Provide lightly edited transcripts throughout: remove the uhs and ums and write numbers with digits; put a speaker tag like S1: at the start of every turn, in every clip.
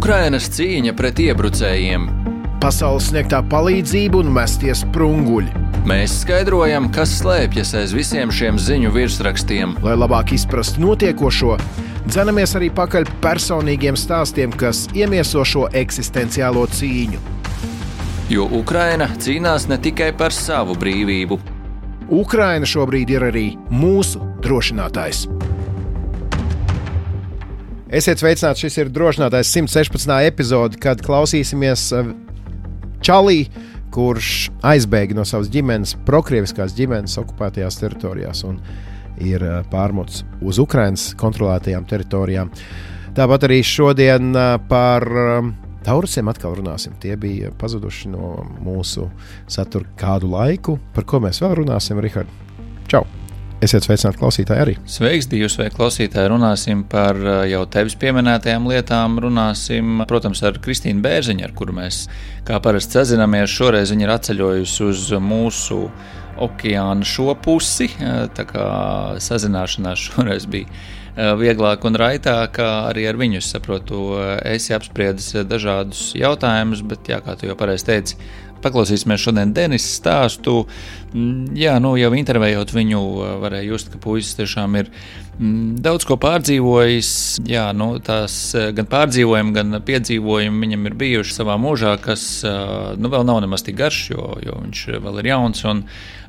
S1: Ukrainas cīņa pret iebrucējiem.
S2: Pasaules sniegtā palīdzība un mestie sprunguļi.
S1: Mēs skaidrojam, kas slēpjas aiz visiem šiem ziņu virsrakstiem.
S2: Lai labāk izprastu notiekošo, dzenamies arī pakaļ personīgiem stāstiem, kas iemieso šo eksistenciālo cīņu.
S1: Jo Ukraina cīnās ne tikai par savu brīvību.
S2: Ukraina šobrīd ir arī mūsu drošinātājs. Esiet sveicināti, šis ir drošinātājs 116. epizode, kad klausīsimies čalī, kurš aizbēga no savas ģimenes, prokrieviskās ģimenes okupētajās teritorijās un ir pārmuts uz Ukrainas kontrolētajām teritorijām. Tāpat arī šodien par taurusiem atkal runāsim. Tie bija pazuduši no mūsu satura kādu laiku. Par ko mēs vēl runāsim, Rihard? Čau! Esiet sveicināti klausītāji arī.
S1: Sveiks, Dievs, vai klausītāji, runāsim par jau tevis pieminētajām lietām, runāsim, protams, ar Kristīnu Bērziņu, ar kuru mēs kā parasti sazināmies. Šoreiz viņa ir atceļojusi uz mūsu okeāna šo pusi, tā kā sazināšanās šoreiz bija vieglāk un raitāk, arī ar viņu, es saprotu, esi apspriedis dažādus jautājumus, bet jā, kā tu jau pareizi teici, paklausīsimies šodien Denisa stāstu. Jā, jau intervējot viņu, varēja just, ka puisis tiešām ir daudz ko pārdzīvojis. Jā, tās gan pārdzīvojumi, gan piedzīvojumi viņam ir bijuši savā mūžā, kas vēl nav nemaz tik garš, jo viņš vēl ir jauns, un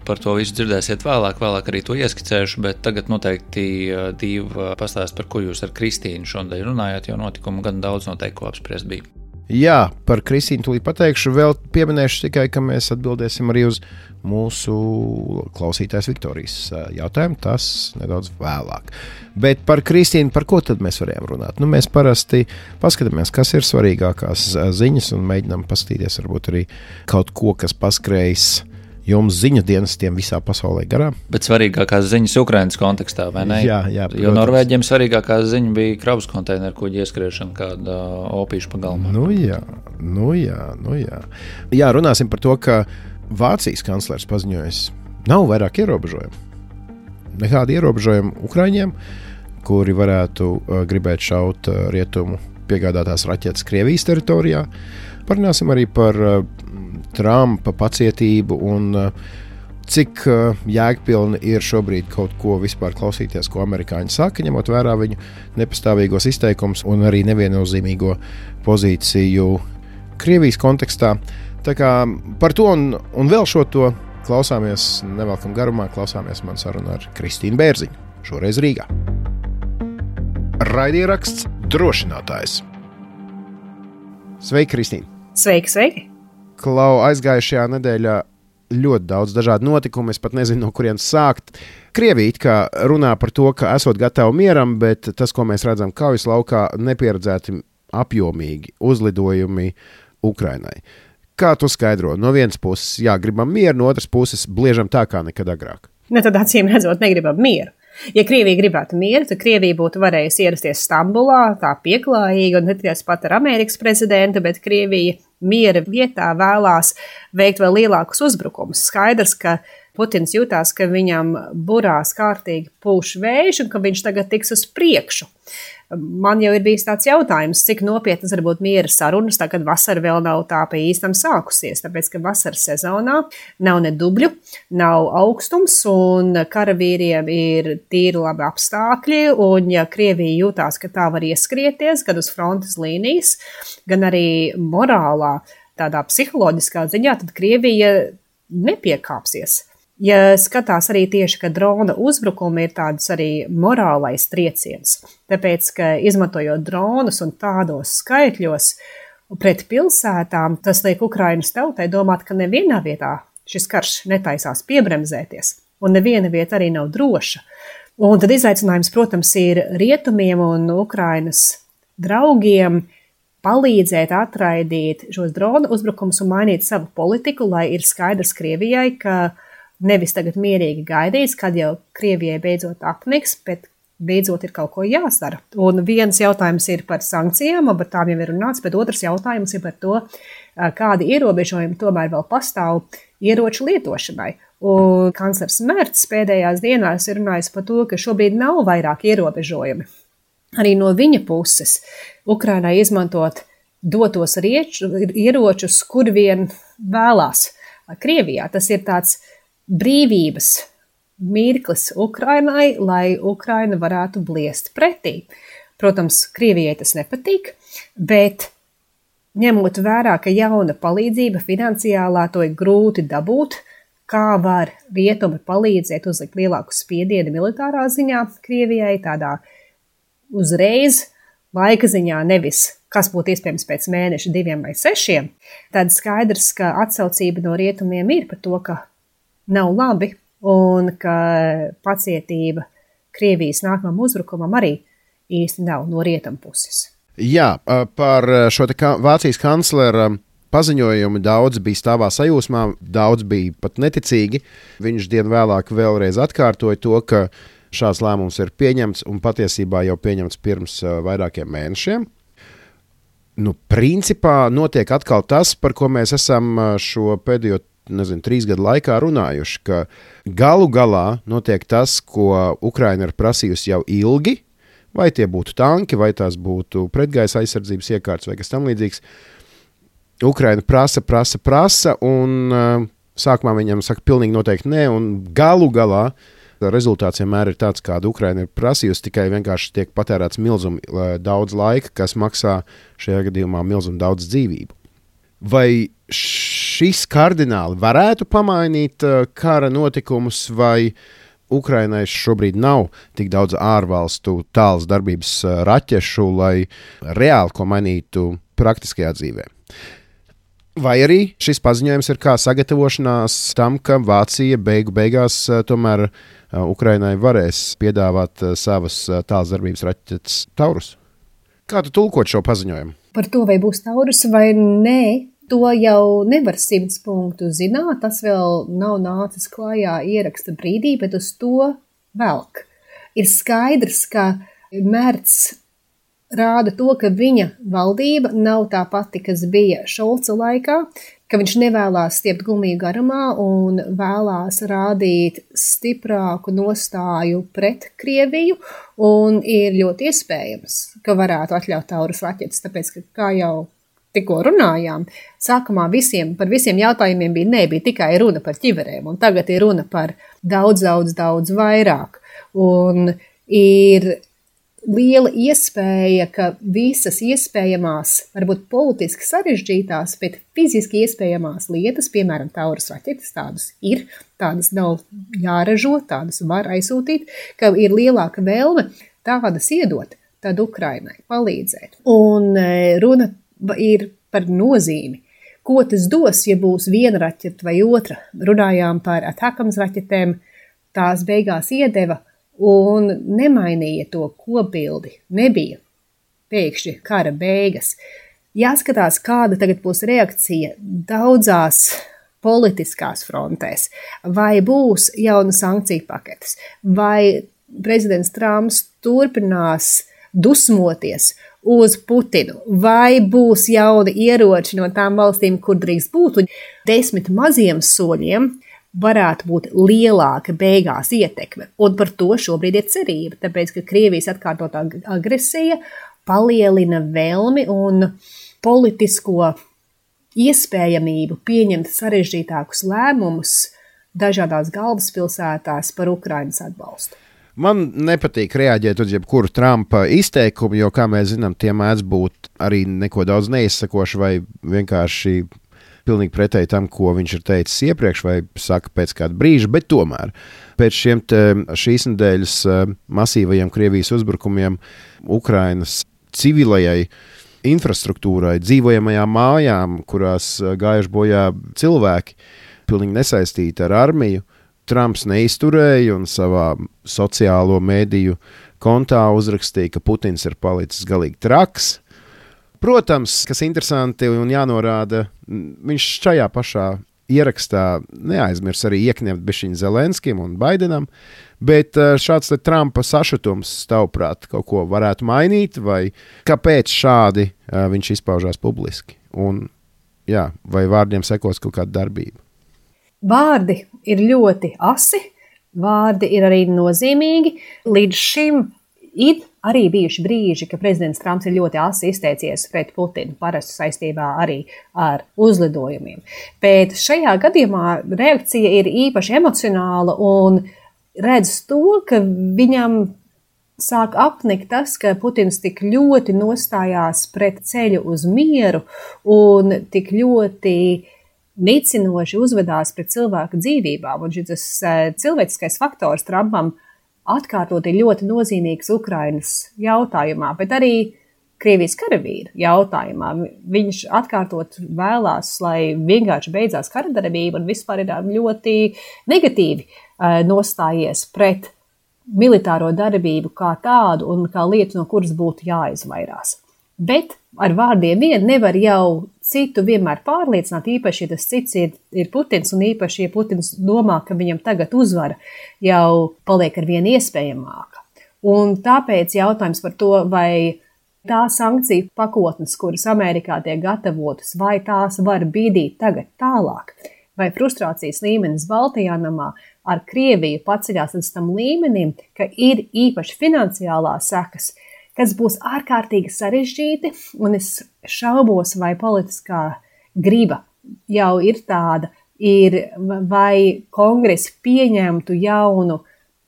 S1: par to visu dzirdēsiet vēlāk arī to ieskicēšu, bet tagad noteikti Dīva pastāst, par ko jūs ar Kristīnu šodien runājāt, jo notikumu gan daudz noteikti ko apspriest bija.
S2: Jā, par Kristīnu tūlīt pateikšu, vēl pieminēšu tikai, ka mēs atbildēsim arī uz mūsu klausītājas Viktorijas jautājumu, tas nedaudz vēlāk. Bet par Kristīnu, par ko tad mēs varējām runāt? Mēs parasti paskatāmies, kas ir svarīgākās ziņas un mēģinām paskatīties varbūt arī kaut ko, kas paskrējis jums ziņu dienestiem visā pasaulē garām. Bet
S1: svarīgākās ziņas Ukrainas kontekstā, vai ne?
S2: Jā,
S1: jo Norvēģiem svarīgākā ziņa bija kravas konteineru kuģi ieskriešana kāda opīša pagalmā.
S2: Jā, runāsim par to, ka Vācijas kanclers paziņojas, nav vairāk ierobežojumu. Nekādi ierobežojumi Ukraiņiem, kuri varētu gribēt šaut rietumu piegādātās raķetes Krievijas teritorijā. Parunāsim arī par Trumpa pacietību un cik jēgpilni ir šobrīd kaut ko vispār klausīties, ko amerikāņi saka, ņemot vērā viņu nepastāvīgos izteikumus un arī neviennozīmīgo pozīciju Krievijas kontekstā. Tā kā par to un vēl šo to klausāmies nevelkam garumā, klausāmies man sarunu ar Kristīnu Bērziņu, šoreiz Rīgā. Raidieraksts Drošinātājs. Sveiki, Kristīna!
S3: Sveiki!
S2: Klau, aizgājušajā nedēļā ļoti daudz dažādu notikumu, es pat nezinu, no kurienes sākt. Krievija it kā runā par to, ka esot gatavi mieram, bet tas, ko mēs redzam kaujas laukā, nepieredzēti apjomīgi uzlidojumi Ukrainai. Kā tu skaidro? No vienas puses, jā, gribam mieru, no otras puses, bliežam tā kā nekad agrāk.
S3: Tad acīm redzot, negribam mieru. Ja Krievija gribētu mieru, tad Krievija būtu varējusi ierasties Stambulā, tā pieklājīgi, un ne tikai pat ar Amerikas prezidentu, bet Krievija miera vietā vēlās veikt vēl lielākus uzbrukumus. Skaidrs, ka Putins jūtās, ka viņam burās kārtīgi pūš vējš un ka viņš tagad tiks uz priekšu. Man jau ir bijis tāds jautājums, cik nopietnas var būt miera sarunas, tā kad vasara vēl nav tā pa īstam sākusies, tāpēc, ka vasaras sezonā nav ne dubļu, nav augstums un karavīriem ir tīri labi apstākļi, un ja Krievija jūtās, ka tā var ieskrieties gan uz frontes līnijas, gan arī morālā, tādā psiholoģiskā ziņā, tad Krievija nepiekāpsies. Ja skatās arī tieši, ka drona uzbrukumi ir tāds arī morālais trieciens, tāpēc, ka izmantojot dronus un tādos skaitļos pret pilsētām, tas liek Ukrainas tautai domāt, ka nevienā vietā šis karš netaisās piebremzēties, un neviena vieta arī nav droša. Un tad izaicinājums, protams, ir rietumiem un Ukrainas draugiem palīdzēt atraidīt šos drona uzbrukumus un mainīt savu politiku, lai ir skaidrs Krievijai, ka nevis tagad mierīgi gaidīs, kad jau Krievijai beidzot apniks, bet beidzot ir kaut ko jāsara. Un viens jautājums ir par sankcijām, un par tām jau ir runāts, bet otrs jautājums ir par to, kādi ierobežojumi tomēr vēl pastāv ieroču lietošanai. Un kanclers Merts pēdējās dienās ir runājis par to, ka šobrīd nav vairāk ierobežojumi. Arī no viņa puses Ukrainai izmantot dotos ieročus, kur vien vēlās. Krievijā tas ir tāds brīvības mirklis Ukrainai, lai Ukraina varētu bliest pretī. Protams, Krievijai tas nepatīk, bet ņemot vērā, ka jauna palīdzība finansiālā to ir grūti dabūt, kā var rietumi palīdzēt uzlikt lielāku spiedienu militārā ziņā Krievijai, tādā uzreiz laika ziņā, nevis kas būtu iespējams pēc mēneša, 2 vai 6, tad skaidrs, ka atsaucība no rietumiem ir par to, ka nav labi un ka pacietība Krievijas nākamam uzbrukumam arī īsti nav no rietumu puses.
S2: Jā, par šo Vācijas kanclera paziņojumu daudz bija stāvā sajūsmā, daudz bija pat neticīgi. Viņš dienu vēlāk vēlreiz atkārtoja to, ka šāds lēmums ir pieņemts un patiesībā jau pieņemts pirms vairākiem mēnešiem. Principā notiek atkal tas, par ko mēs esam šo pēdējo 3 gadu laikā runājuši, ka galu galā notiek tas, ko Ukraina ir prasījusi jau ilgi, vai tie būtu tanki, vai tās būtu pretgaisa aizsardzības iekārtas vai kas tam līdzīgs. Ukraina prasa, un sākumā viņam saka pilnīgi noteikti nē, un galu galā rezultāts vienmēr ir tāds, kādu Ukraina ir prasījusi, tikai vienkārši tiek patērēts milzum daudz laika, kas maksā šajā gadījumā milzum daudz dzīvību. Vai šis kardināli varētu pamainīt kara notikumus, vai Ukrainai šobrīd nav tik daudz ārvalstu tālas darbības raķešu, lai reāli ko mainītu praktiskajā dzīvē? Vai arī šis paziņojums ir kā sagatavošanās tam, ka Vācija beigās tomēr Ukrainai varēs piedāvāt savas tālas darbības raķetes Taurus? Kā tu tulkot šo paziņojumu?
S3: Par to, vai būs Taurus vai nē, to jau nevar 100 punktu zināt. Tas vēl nav nācis klājā ieraksta brīdī, bet uz to velk. Ir skaidrs, ka Merts rāda to, ka viņa valdība nav tā pati, kas bija Šolca laikā, ka viņš nevēlās stiept gumiju garumā un vēlās rādīt stiprāku nostāju pret Krieviju, un ir ļoti iespējams, ka varētu atļaut Taurus raķetes, tāpēc, ka kā jau tikko runājām, sākumā par visiem jautājumiem bija tikai runa par ķiverēm, un tagad ir runa par daudz vairāk, un ir liela iespēja, ka visas iespējamās, varbūt politiski sarežģītās, bet fiziski iespējamās lietas, piemēram, Taurus raķetes, tādas ir, tādas nav jāražo, tādas var aizsūtīt, ka ir lielāka vēlme tādas iedot, tad Ukrainai palīdzēt. Un runa ir par nozīmi. Ko tas dos, ja būs viena raķeta vai otra? Runājām par Atakams raķetēm, tās beigās iedeva un nemainīja to kopbildi. Nebija pēkšņi kara beigas. Jāskatās, kāda tagad būs reakcija daudzās politiskās frontēs. Vai būs jauna sankciju paketes, vai prezidents Trumps turpinās dusmoties uz Putinu, vai būs jauni ieroči no tām valstīm, kur drīkst būt, un 10 maziem soļiem varētu būt lielāka beigās ietekme. Un par to šobrīd ir cerība, tāpēc, ka Krievijas atkārtotā agresija palielina vēlmi un politisko iespējamību pieņemt sarežģītākus lēmumus dažādās galvaspilsētās par Ukrainas atbalstu.
S2: Man nepatīk reaģēt uz jebkuru Trumpa izteikumu, jo, kā mēs zinām, tie mēdz būt arī neko daudz neizsakoši vai vienkārši pilnīgi pretēji tam, ko viņš ir teicis iepriekš vai saka pēc kāda brīža, bet tomēr pēc šīs nedēļas masīvajiem Krievijas uzbrukumiem Ukrainas civilajai infrastruktūrai, dzīvojamajām mājām, kurās gājuši bojā cilvēki, pilnīgi nesaistīti ar armiju, Trumps neizturēja un savā sociālo mediju kontā uzrakstīja, ka Putins ir palicis galīgi traks. Protams, kas interesanti un jānorāda, viņš šajā pašā ierakstā neaizmirs arī iekņemt bišķiņu Zelenskim un Baidenam, bet šāds te Trumpa sašutums, tavuprāt, kaut ko varētu mainīt, vai kāpēc šādi viņš izpaužās publiski? Un, jā, vai vārdiem sekos kaut kāda darbība?
S3: Vārdi ir ļoti asi, vārdi ir arī nozīmīgi. Līdz šim Ir arī bijuši brīži, ka prezidents Trumps ir ļoti asi izteicies pret Putinu, parasti saistībā arī ar uzlidojumiem. Bet šajā gadījumā reakcija ir īpaši emocionāla un redz to, ka viņam sāk apnikt tas, ka Putins tik ļoti nostājās pret ceļu uz mieru un tik ļoti nicinoši uzvedās pret cilvēku dzīvībām. Un šis cilvēciskais faktors Trumpam atkārtot ir ļoti nozīmīgs Ukrainas jautājumā, bet arī Krievijas karavīru jautājumā. Viņš atkārtot vēlās, lai vienkārši beidzās karadarbība un vispār ir ļoti negatīvi nostājies pret militāro darbību kā tādu un kā lietu, no kuras būtu jāizvairās. Bet ar vārdiem vien nevar jau citu vienmēr pārliecināt, īpaši, ja tas cits ir Putins, un īpaši, ja Putins domā, ka viņam tagad uzvara jau paliek ar vien iespējamāka. Un tāpēc jautājums par to, vai tā sankciju pakotnes, kuras Amerikā tiek gatavotas, vai tās var bīdīt tagad tālāk, vai frustrācijas līmenis Baltijā namā ar Krieviju paceļās līdz tam līmenim, ka ir īpaši finansiālās sekas, kas būs ārkārtīgi sarežģīti, un es šaubos, vai politiskā griba jau ir tāda, vai kongress pieņemtu jaunu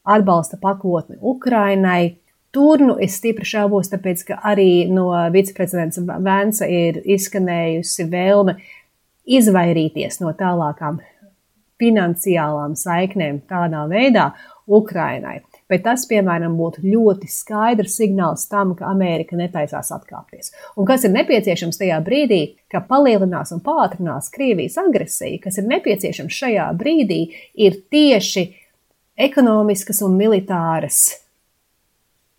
S3: atbalsta pakotni Ukrainai. Tur es stipri šaubos, tāpēc, ka arī no viceprezidents Vansa ir izskanējusi vēlme izvairīties no tālākām finansiālām saiknēm tādā veidā Ukrainai. Bet tas, piemēram, būtu ļoti skaidrs signāls tam, ka Amerika netaisās atkāpties. Un kas ir nepieciešams tajā brīdī, ka palielinās un pātrinās Krievijas agresija, kas ir nepieciešams šajā brīdī, ir tieši ekonomiskas un militāras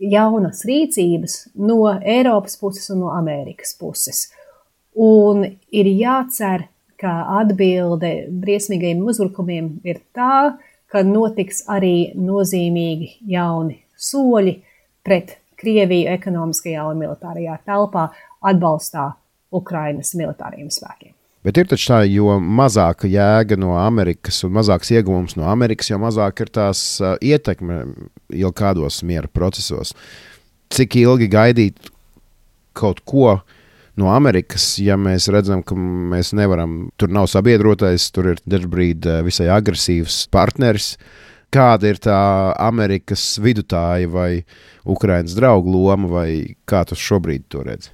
S3: jaunas rīcības no Eiropas puses un no Amerikas puses. Un ir jācer, ka atbilde briesmīgajiem uzbrukumiem ir tā, ka notiks arī nozīmīgi jauni soļi pret Krieviju ekonomiskajā un militārajā telpā atbalstā Ukrainas militāriem spēkiem.
S2: Bet ir taču tā, jo mazāka jēga no Amerikas un mazāks ieguvums no Amerikas, jo mazāk ir tās ietekme jau kādos miera procesos. Cik ilgi gaidīt kaut ko no Amerikas, ja mēs redzam, ka mēs nevaram, tur nav sabiedrotais, tur ir dažbrīd visai agresīvs partneris. Kāda ir tā Amerikas vidutāja vai Ukrainas draugu loma, vai kā tu šobrīd to redzi?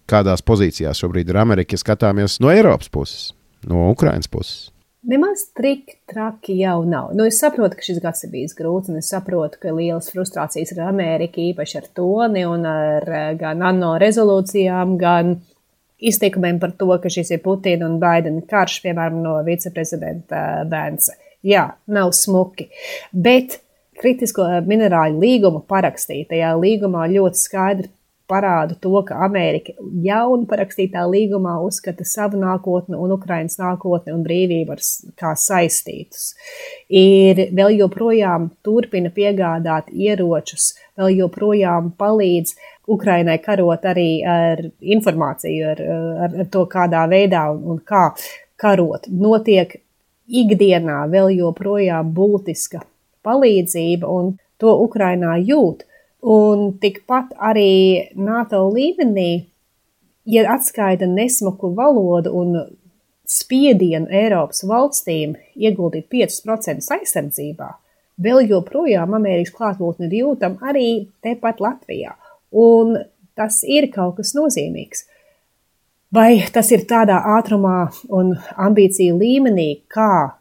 S2: Kādās pozīcijās šobrīd ir Amerika, ja skatāmies no Eiropas puses, no Ukrainas puses?
S3: Nemaz traki jau nav. Es saprotu, ka šis gads ir bijis grūts, un es saprotu, ka lielas frustrācijas ir Amerika, īpaši ar toni un ar gan ANO rezolūcijām, gan izteikumiem par to, ka šis ir Putina un Baidena karš, piemēram, no viceprezidenta Vansa. Jā, nav smuki, bet kritisko minerāļu līgumu parakstīja. Tajā līgumā ļoti skaidri parāda to, ka Amerika jaunu parakstītā līgumā uzskata savu nākotni un Ukrainas nākotni un brīvību kā saistītus. Ir vēl joprojām turpina piegādāt ieročus, vēl joprojām palīdz Ukrainai karot arī ar informāciju, ar to, kādā veidā un kā karot. Notiek ikdienā vēl joprojām būtiska palīdzība, un to Ukrainā jūt. Un tikpat arī NATO līmenī, ja atskaita nesmuku valodu un spiedienu Eiropas valstīm ieguldīt 5% aizsardzībā, vēl joprojām Amerikas klātbūtne ir jūtama arī tepat Latvijā. Un tas ir kaut kas nozīmīgs. Vai tas ir tādā ātrumā un ambīciju līmenī, kā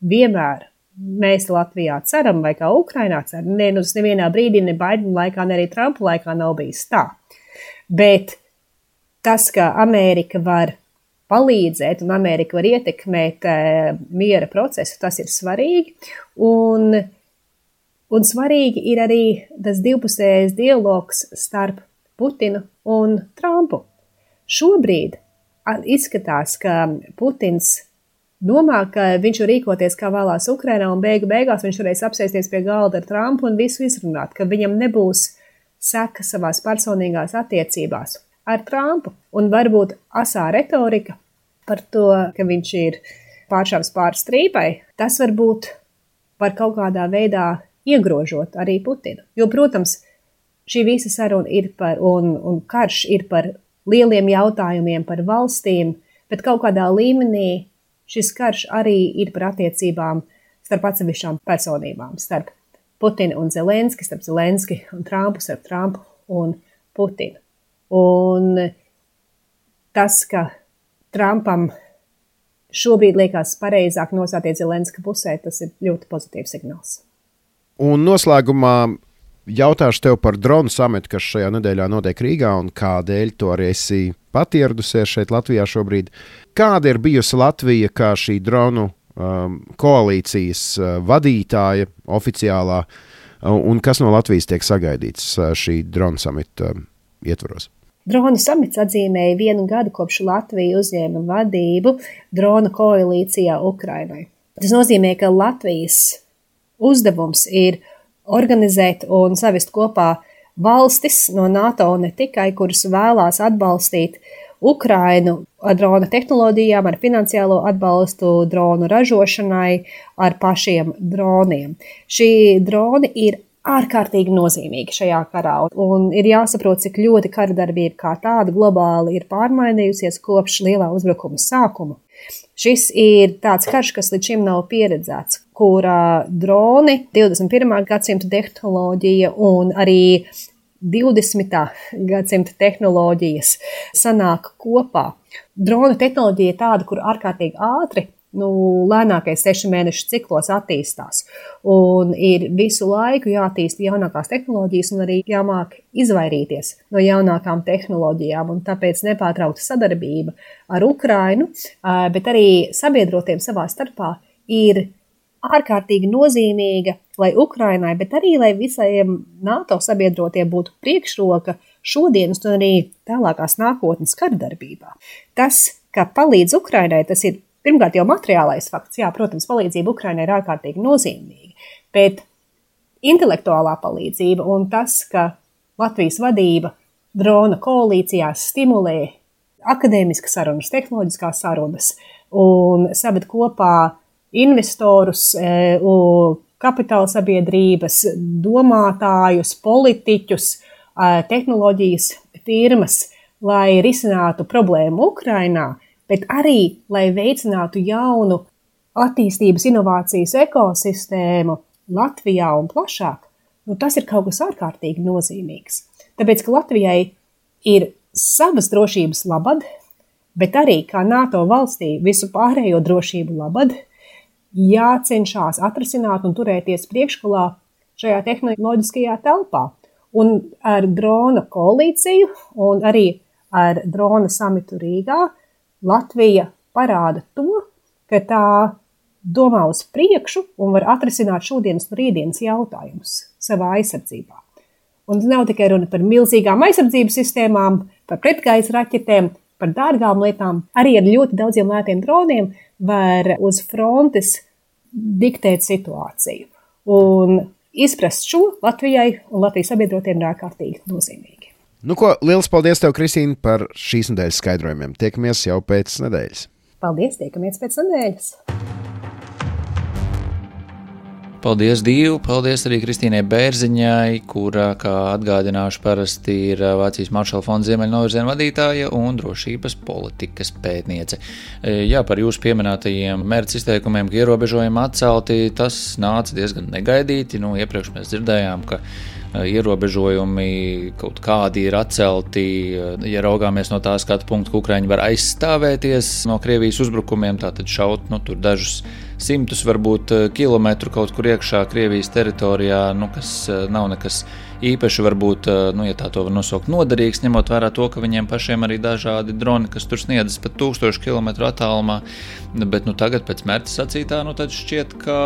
S3: vienmēr mēs Latvijā ceram, vai kā Ukrainā ceram? Nē, nevienā brīdī, ne Baidena laikā, ne arī Trumpa laikā nav bijis tā. Bet tas, ka Amerika var palīdzēt un Amerika var ietekmēt miera procesu, tas ir svarīgi. Un svarīgi ir arī tas divpusējais dialogs starp Putinu un Trumpu. Šobrīd izskatās, ka Putins domā, ka viņš var rīkoties kā vēlās Ukrainā un beigās viņš varēs apsēsties pie galda ar Trumpu un visu izrunāt, ka viņam nebūs seka savās personīgās attiecībās ar Trumpu. Un varbūt asā retorika par to, ka viņš ir pāršāvis pāri strīpai, tas varbūt var kaut kādā veidā iegrožot arī Putinu. Jo, protams, šī visa saruna ir par, un karš ir par lieliem jautājumiem, par valstīm, bet kaut kādā līmenī šis karš arī ir par attiecībām starp atsevišķām personībām, starp Putinu un Zelenski, starp Zelenski un Trumpu, starp Trumpu un Putinu. Un tas, ka Trumpam šobrīd liekas pareizāk nostāties Zelenska pusē, tas ir ļoti pozitīvs signāls.
S2: Un noslēgumā jautāšu tev par dronu samitu, kas šajā nedēļā notiek Rīgā, un kādēļ tu arī esi pat ieradusies šeit Latvijā šobrīd. Kāda ir bijusi Latvija kā šī dronu koalīcijas vadītāja oficiālā, un kas no Latvijas tiek sagaidīts šī dronu samita ietvaros?
S3: Dronu samits atzīmēja 1 gadu kopš Latvija uzņēma vadību dronu koalīcijā Ukrainai. Tas nozīmē, ka Latvijas uzdevums ir organizēt un savest kopā valstis no NATO ne tikai, kuras vēlās atbalstīt Ukrainu ar drona tehnoloģijām, ar finansiālo atbalstu dronu ražošanai, ar pašiem droniem. Šī droni ir ārkārtīgi nozīmīgi šajā karā, un ir jāsaprot, cik ļoti karadarbība kā tāda globāli ir pārmainījusies kopš lielā uzbrukuma sākuma. Šis ir tāds karš, kas līdz šim nav pieredzēts, kurā droni, 21. gadsimta tehnoloģija un arī 20. gadsimta tehnoloģijas sanāk kopā. Drona tehnoloģija ir tāda, kur ārkārtīgi ātri, lēnākais 6 mēnešu ciklos attīstās. Un ir visu laiku jātīst jaunākās tehnoloģijas un arī jāmāk izvairīties no jaunākām tehnoloģijām. Un tāpēc nepārtraukta sadarbība ar Ukrainu, bet arī sabiedrotiem savā starpā ir ārkārtīgi nozīmīga, lai Ukrainai, bet arī, lai visiem NATO sabiedrotiem būtu priekšroka šodienas un arī tālākās nākotnes karadarbībā. Tas, ka palīdz Ukrainai, tas ir pirmkārt jau materiālais fakts. Jā, protams, palīdzība Ukrainai ir ārkārtīgi nozīmīga, bet intelektuālā palīdzība un tas, ka Latvijas vadība drona koalīcijās stimulē akadēmiskas sarunas, tehnoloģiskās sarunas un saved kopā investorus, kapitāla sabiedrības, domātājus, politiķus, tehnoloģijas firmas, lai risinātu problēmu Ukrainā, bet arī, lai veicinātu jaunu attīstības inovācijas ekosistēmu Latvijā un plašāk. Tas ir kaut kas ārkārtīgi nozīmīgs. Tāpēc, ka Latvijai ir savas drošības labad, bet arī kā NATO valstī visu pārējo drošību labad, jācenšās atrisināt un turēties priekšgalā šajā tehnoloģiskajā telpā. Un ar drona koalīciju un arī ar drona samitu Rīgā Latvija parāda to, ka tā domā uz priekšu un var atrisināt šodienas un rītdienas jautājumus savā aizsardzībā. Un nav tikai runa par milzīgām aizsardzības sistēmām, par pretgaisa raķetēm, par dārgām lietām, arī ar ļoti daudziem lētiem droniem var uz frontes diktēt situāciju. Un izprast šo Latvijai un Latvijas sabiedrotiem ir ārkārtīgi nozīmīgi.
S2: Liels paldies tev, Kristīne, par šīs nedēļas skaidrojumiem. Tiekamies jau pēc nedēļas.
S3: Paldies, tiekamies pēc nedēļas.
S1: Paldies, Dīvu! Paldies arī Kristīnai Bērziņai, kura, kā atgādināšu, parasti ir Vācijas Maršala fonda Ziemeļnovirziena vadītāja un drošības politikas pētniece. Jā, par jūsu pieminētajiem mērķa izteikumiem, ka ierobežojumi atcelti, tas nāca diezgan negaidīti. Iepriekš mēs dzirdējām, ka ierobežojumi kaut kādi ir atcelti, ja raugāmies no tā skatu punkta, ka Ukraiņi var aizstāvēties no Krievijas uzbrukumiem, tātad šaut tur dažus simtus, varbūt kilometru kaut kur iekšā Krievijas teritorijā, kas nav nekas īpaši, varbūt, ja tā to var nosaukt, noderīgs, ņemot vērā to, ka viņiem pašiem arī dažādi droni, kas tur sniedzas pat 1000 kilometru attālumā, bet tagad pēc mērķa sacītā, tad šķiet, ka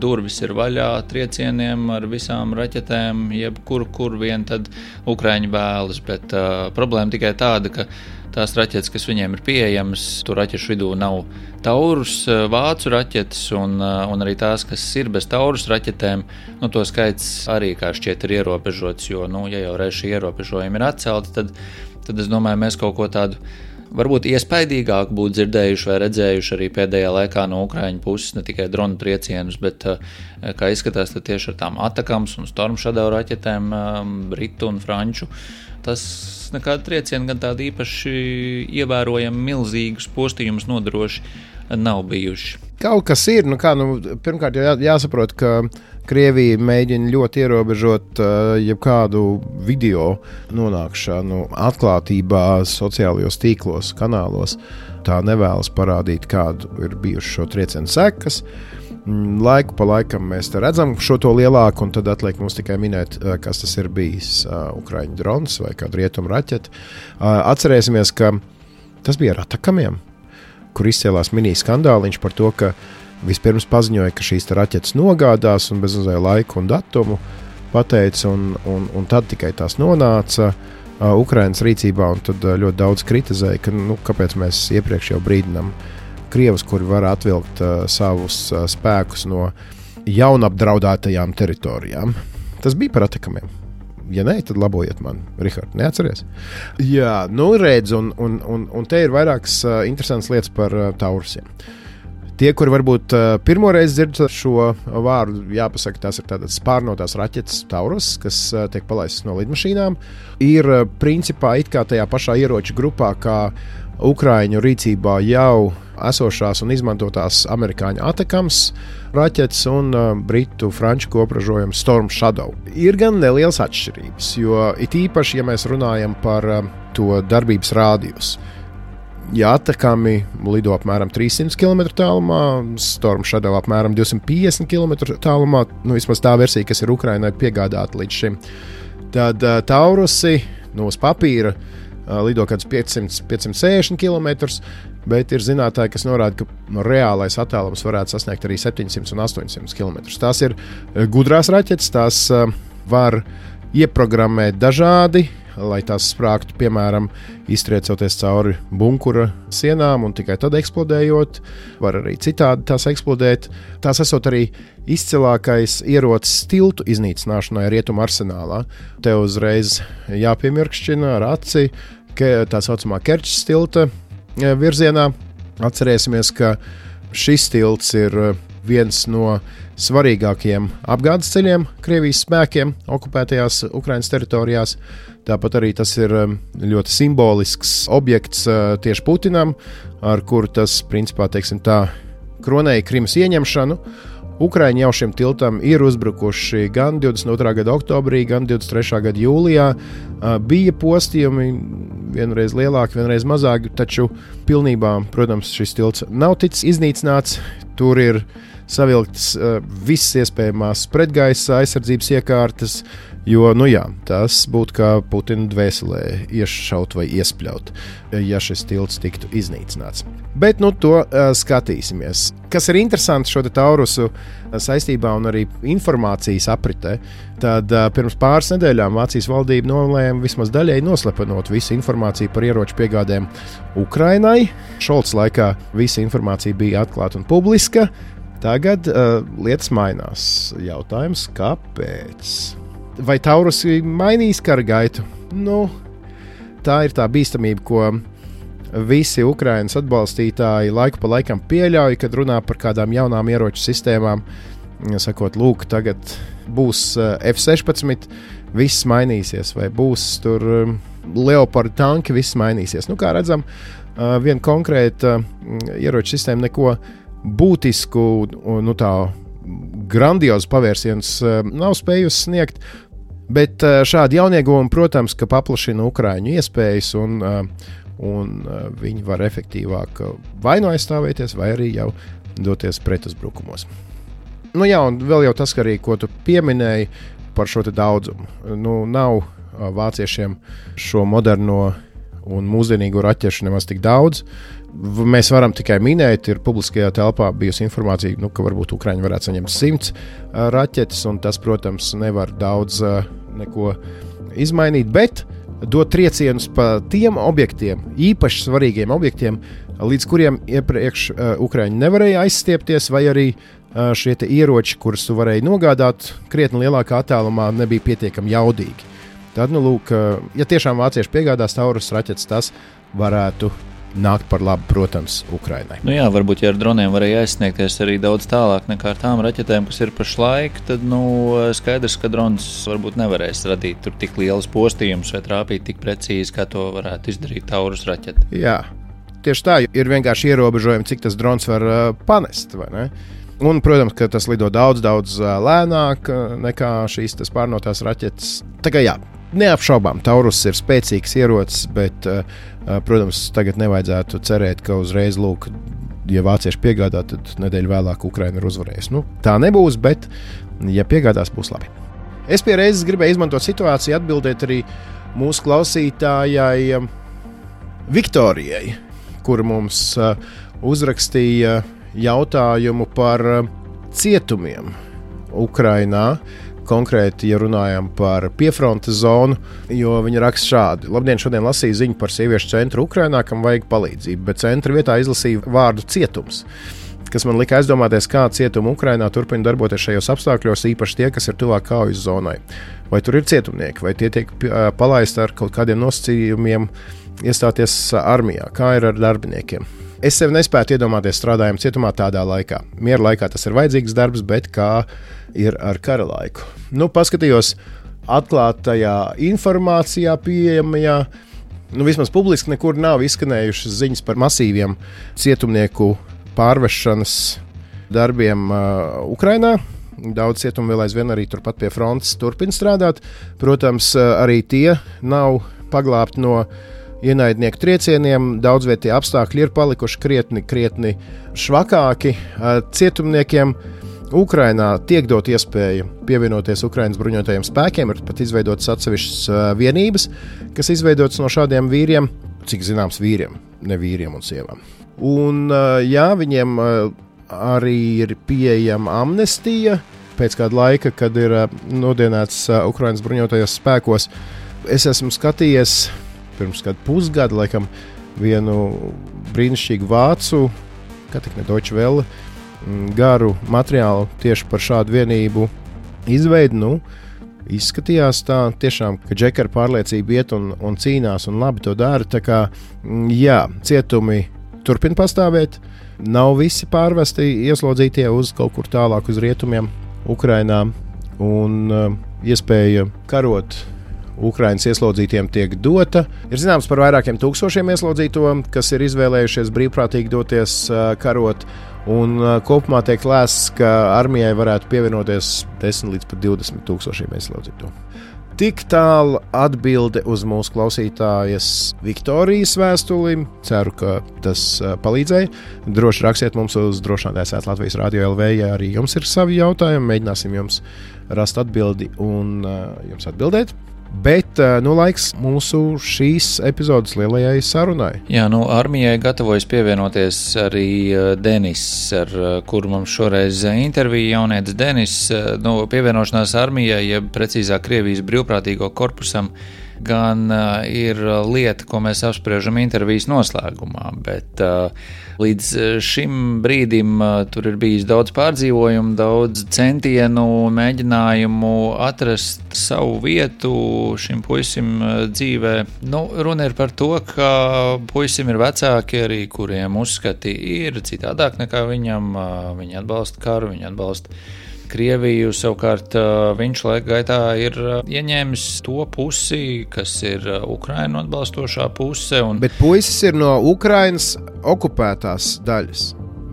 S1: durvis ir vaļā triecieniem ar visām raķetēm, kur vien tad Ukraiņi vēlas, bet problēma tikai tāda, ka tās raķetes, kas viņiem ir pieejamas, tur raķešu vidū nav Taurus, vācu raķetes un arī tās, kas ir bez Taurus raķetēm, to skaits arī kā šķiet ir ierobežots, jo, ja jau reiz šie ierobežojumi ir atcelti, tad es domāju, mēs kaut ko tādu varbūt iespaidīgāk būtu dzirdējuši vai redzējuši arī pēdējā laikā no Ukraiņu puses ne tikai dronu triecienus, bet, kā izskatās, tad tieši ar tām Atakams un Storm Shadow raķetēm britu un franču. Tas nekāda trieciena gan tādi īpaši ievērojami milzīgus postījumus nodroši nav bijuši.
S2: Kaut kas ir, pirmkārt jāsaprot, ka Krievija mēģina ļoti ierobežot jebkādu video nonākšanu atklātībā sociālajos tīklos, kanālos. Tā nevēlas parādīt, kādu ir bijuši šo triecienu sekas. Laiku pa laikam mēs te redzam šo to lielāku, un tad atliek mums tikai minēt, kas tas ir bijis Ukraiņu drons vai kādu rietumu raķeti. Atcerēsimies, ka tas bija ar Atakamiem, kur izcēlās mini-skandāliņš par to, ka vispirms paziņoja, ka šīs raķetes nogādās un bez mazliet laiku un datumu pateica, un tad tikai tās nonāca Ukrainas rīcībā, un tad ļoti daudz kritizēja, ka kāpēc mēs iepriekš jau brīdinām Krievus, kuri var atvilkt savus spēkus no jaunapdraudētajām teritorijām. Tas bija par Atakamiem. Ja nē, tad labojiet man, Rihard, neatceries? Jā, redz, un te ir vairākas interesantas lietas par Taurusiem. Tie, kuri varbūt pirmoreiz dzird šo vārdu, jāpasaka, tās ir tādas spārnotās raķetes Taurus, kas tiek palaistas no lidmašīnām, ir principā it kā tajā pašā ieroču grupā, kā Ukraiņu rīcībā jau esošās un izmantotās amerikāņu Atakams raķetes un britu franču kopražojums Storm Shadow. Ir gan nelielas atšķirības, jo it īpaši, ja mēs runājam par to darbības rādijus. Ja Atakami lido apmēram 300 km tālumā, Storm Shadow apmēram 250 km tālumā, vismaz tā versija, kas ir Ukrainai piegādāta līdz šim, tad Taurusi uz papīra lido kādus 560 km, bet ir zinātāji, kas norāda, ka reālais attālums varētu sasniegt arī 700 un 800 km. Tās ir gudrās raķetes, tās var ieprogrammēt dažādi, lai tās sprāktu, piemēram, iztriecoties cauri bunkura sienām un tikai tad eksplodējot. Var arī citādi tās eksplodēt. Tās esot arī izcilākais ierocis tiltu iznīcināšanai rietumu arsenālā. Te uzreiz jāpiemirkšķina ar aci, tā saucamā Kerčas tilta virzienā. Atcerēsimies, ka šis tilts ir viens no svarīgākajiem apgādes ceļiem Krievijas spēkiem okupētajās Ukrainas teritorijās. Tāpat arī tas ir ļoti simbolisks objekts tieši Putinam, ar kuru tas, principā, kronēja Krimas ieņemšanu. Ukraiņi jau šim tiltam ir uzbrukuši gan 22. gada oktobrī, gan 23. gada jūlijā. Bija postījumi vienreiz lielāki, vienreiz mazāki, taču pilnībā, protams, šis tilts nav ticis iznīcināts. Tur ir savilktas visas iespējamās pretgaisa aizsardzības iekārtas, jo, tas būtu kā Putina dvēselē iešaut vai iespļaut, ja šis tilts tiktu iznīcināts. Bet to skatīsimies. Kas ir interesanti šo Taurusu saistībā un arī informācijas apritē, tad pirms pāris nedēļām Vācijas valdība nolēma vismaz daļēji noslepenot visu informāciju par ieroču piegādēm Ukrainai. Šolca laikā visa informācija bija atklāta un publiska. Tagad lietas mainās. Jautājums, kāpēc? Vai Taurusi mainīs kara gaitu? Tā ir tā bīstamība, ko visi Ukrainas atbalstītāji laiku pa laikam pieļauj, kad runā par kādām jaunām ieroču sistēmām. Sakot, lūk, tagad būs F-16, viss mainīsies, vai būs tur Leopard tanki, viss mainīsies. Kā redzam, viena konkrēta ieroču sistēma neko būtisku, tā grandiozu pavērsienus nav spējusi sniegt, bet šādi jaunieguvumi, protams, ka paplašina Ukraiņu iespējas un viņi var efektīvāk vai aizstāvēties, vai arī jau doties pretuzbrukumos. Un vēl jau tas, arī, ko tu pieminēji par šo daudzumu. Nav vāciešiem šo moderno un mūsdienīgo raķešu nemaz tik daudz. Mēs varam tikai minēt, ir publiskajā telpā bijusi informācija, ka varbūt Ukraiņi varētu saņemt 100 raķetes, un tas, protams, nevar daudz neko izmainīt, bet dot triecienus pa tiem objektiem, īpaši svarīgiem objektiem, līdz kuriem iepriekš Ukraiņi nevarēja aizstiepties, vai arī šie ieroči, kurus tu varēji nogādāt krietni lielākā attālumā, nebija pietiekami jaudīgi. Tad, ja tiešām vācieši piegādās Taurus raķetes, tas varētu nākt par labu, protams, Ukrainai.
S1: Nu jā, varbūt, ja ar droniem varēja aizsniegties arī daudz tālāk nekā ar tām raķetēm, kas ir pašlaik, tad skaidrs, ka drons varbūt nevarēs radīt tur tik lielus postījumus vai trāpīt tik precīzi, kā to varētu izdarīt Taurus raķete.
S2: Jā, tieši tā, ir vienkārši ierobežojumi, cik tas drons var panest, vai ne? Un, protams, ka tas lido daudz lēnāk nekā šīs pārnotās raķetes. Tā kā jā, neapšaubām, Taurus ir spēcīgs ierocis, bet, protams, tagad nevajadzētu cerēt, ka uzreiz, ja vācieši piegādā, tad nedēļu vēlāk Ukraina ir uzvarējusi. Tā nebūs, bet, ja piegādās, būs labi. Es pie reizes gribēju izmantot situāciju, atbildēt arī mūsu klausītājai Viktorijai, kura mums uzrakstīja jautājumu par cietumiem Ukrainā. Konkrēti, ja runājam par piefrontes zonu, jo viņi raksta šādi. Labdien, šodien lasīju ziņu par sieviešu centru Ukrainā, kam vajag palīdzību, bet centra vietā izlasīju vārdu cietums, kas man lika aizdomāties, kā cietumi Ukrainā turpina darboties šajos apstākļos, īpaši tie, kas ir tuvāk kaujas zonai. Vai tur ir cietumnieki, vai tie tiek palaisti ar kaut kādiem nosacījumiem iestāties armijā, kā ir ar darbiniekiem. Es sev nespētu iedomāties strādājam cietumā tādā laikā. Miera laikā tas ir vajadzīgs darbs, bet kā ir ar kara laiku. Paskatījos atklātajā informācijā pieejamajā. Vismaz publiski nekur nav izskanējušas ziņas par masīviem cietumnieku pārvešanas darbiem Ukrainā. Daudz cietumu vēl aizvien arī turpat pie frontes turpina strādāt. Protams, arī tie nav paglābti no ienaidnieku triecieniem, daudzvietie apstākļi ir palikuši krietni švakāki. Cietumniekiem Ukrainā tiek dot iespēja pievienoties Ukrainas bruņotajiem spēkiem, ir pat izveidotas atsevišķas vienības, kas izveidotas no šādiem vīriem, cik zināms vīriem, ne vīriem un sievām. Un jā, viņiem arī ir pieejama amnestija pēc kāda laika, kad ir nodienēts Ukrainas bruņotajos spēkos. Es esmu skatījies pirms kādu pusgadu, laikam, vienu brīnišķīgu vācu, kā tik ne Deutsche Welle, garu materiālu tieši par šādu vienību izveidi. Izskatījās tā tiešām, ka džeki ar pārliecību iet un cīnās un labi to dara. Tā kā, jā, cietumi turpina pastāvēt, nav visi pārvesti ieslodzītie uz kaut kur tālāk uz rietumiem Ukrainā, un iespēja karot Ukrainas ieslodzītiem tiek dota. Ir zināms par vairākiem tūkstošiem ieslodzīto, kas ir izvēlējušies brīvprātīgi doties karot, un kopumā tiek lēsts, ka armijai varētu pievienoties 10 līdz pat 20 tūkstošiem ieslodzīto. Tik tālu atbilde uz mūsu klausītājas Viktorijas vēstuli. Ceru, ka tas palīdzēja. Droši rakstiet mums uz drošinātājs@Latvijas Radio LV, ja arī jums ir savi jautājumi. Mēģināsim jums rast atbildi un jums atbildēt. Bet laiks mūsu šīs epizodes lielajai sarunai.
S1: Jā, armijai gatavojas pievienoties arī Denis, ar kuru mums šoreiz intervija jaunietis Denis. Pievienošanās armijai, jeb precīzāk Krievijas brīvprātīgo korpusam, gan ir lieta, ko mēs apspriežam intervijas noslēgumā, bet līdz šim brīdim tur ir bijis daudz pārdzīvojumu, daudz centienu, mēģinājumu atrast savu vietu šim puisim dzīvē. Runa ir par to, ka puisim ir vecāki arī, kuriem uzskati ir citādāk nekā viņam. Viņi atbalsta karu, viņi atbalsta Krieviju, savukārt viņš laika gaitā ir ieņēmis to pusi, kas ir Ukrainu atbalstošā puse.
S2: Bet puisis ir no Ukrainas okupētās daļas.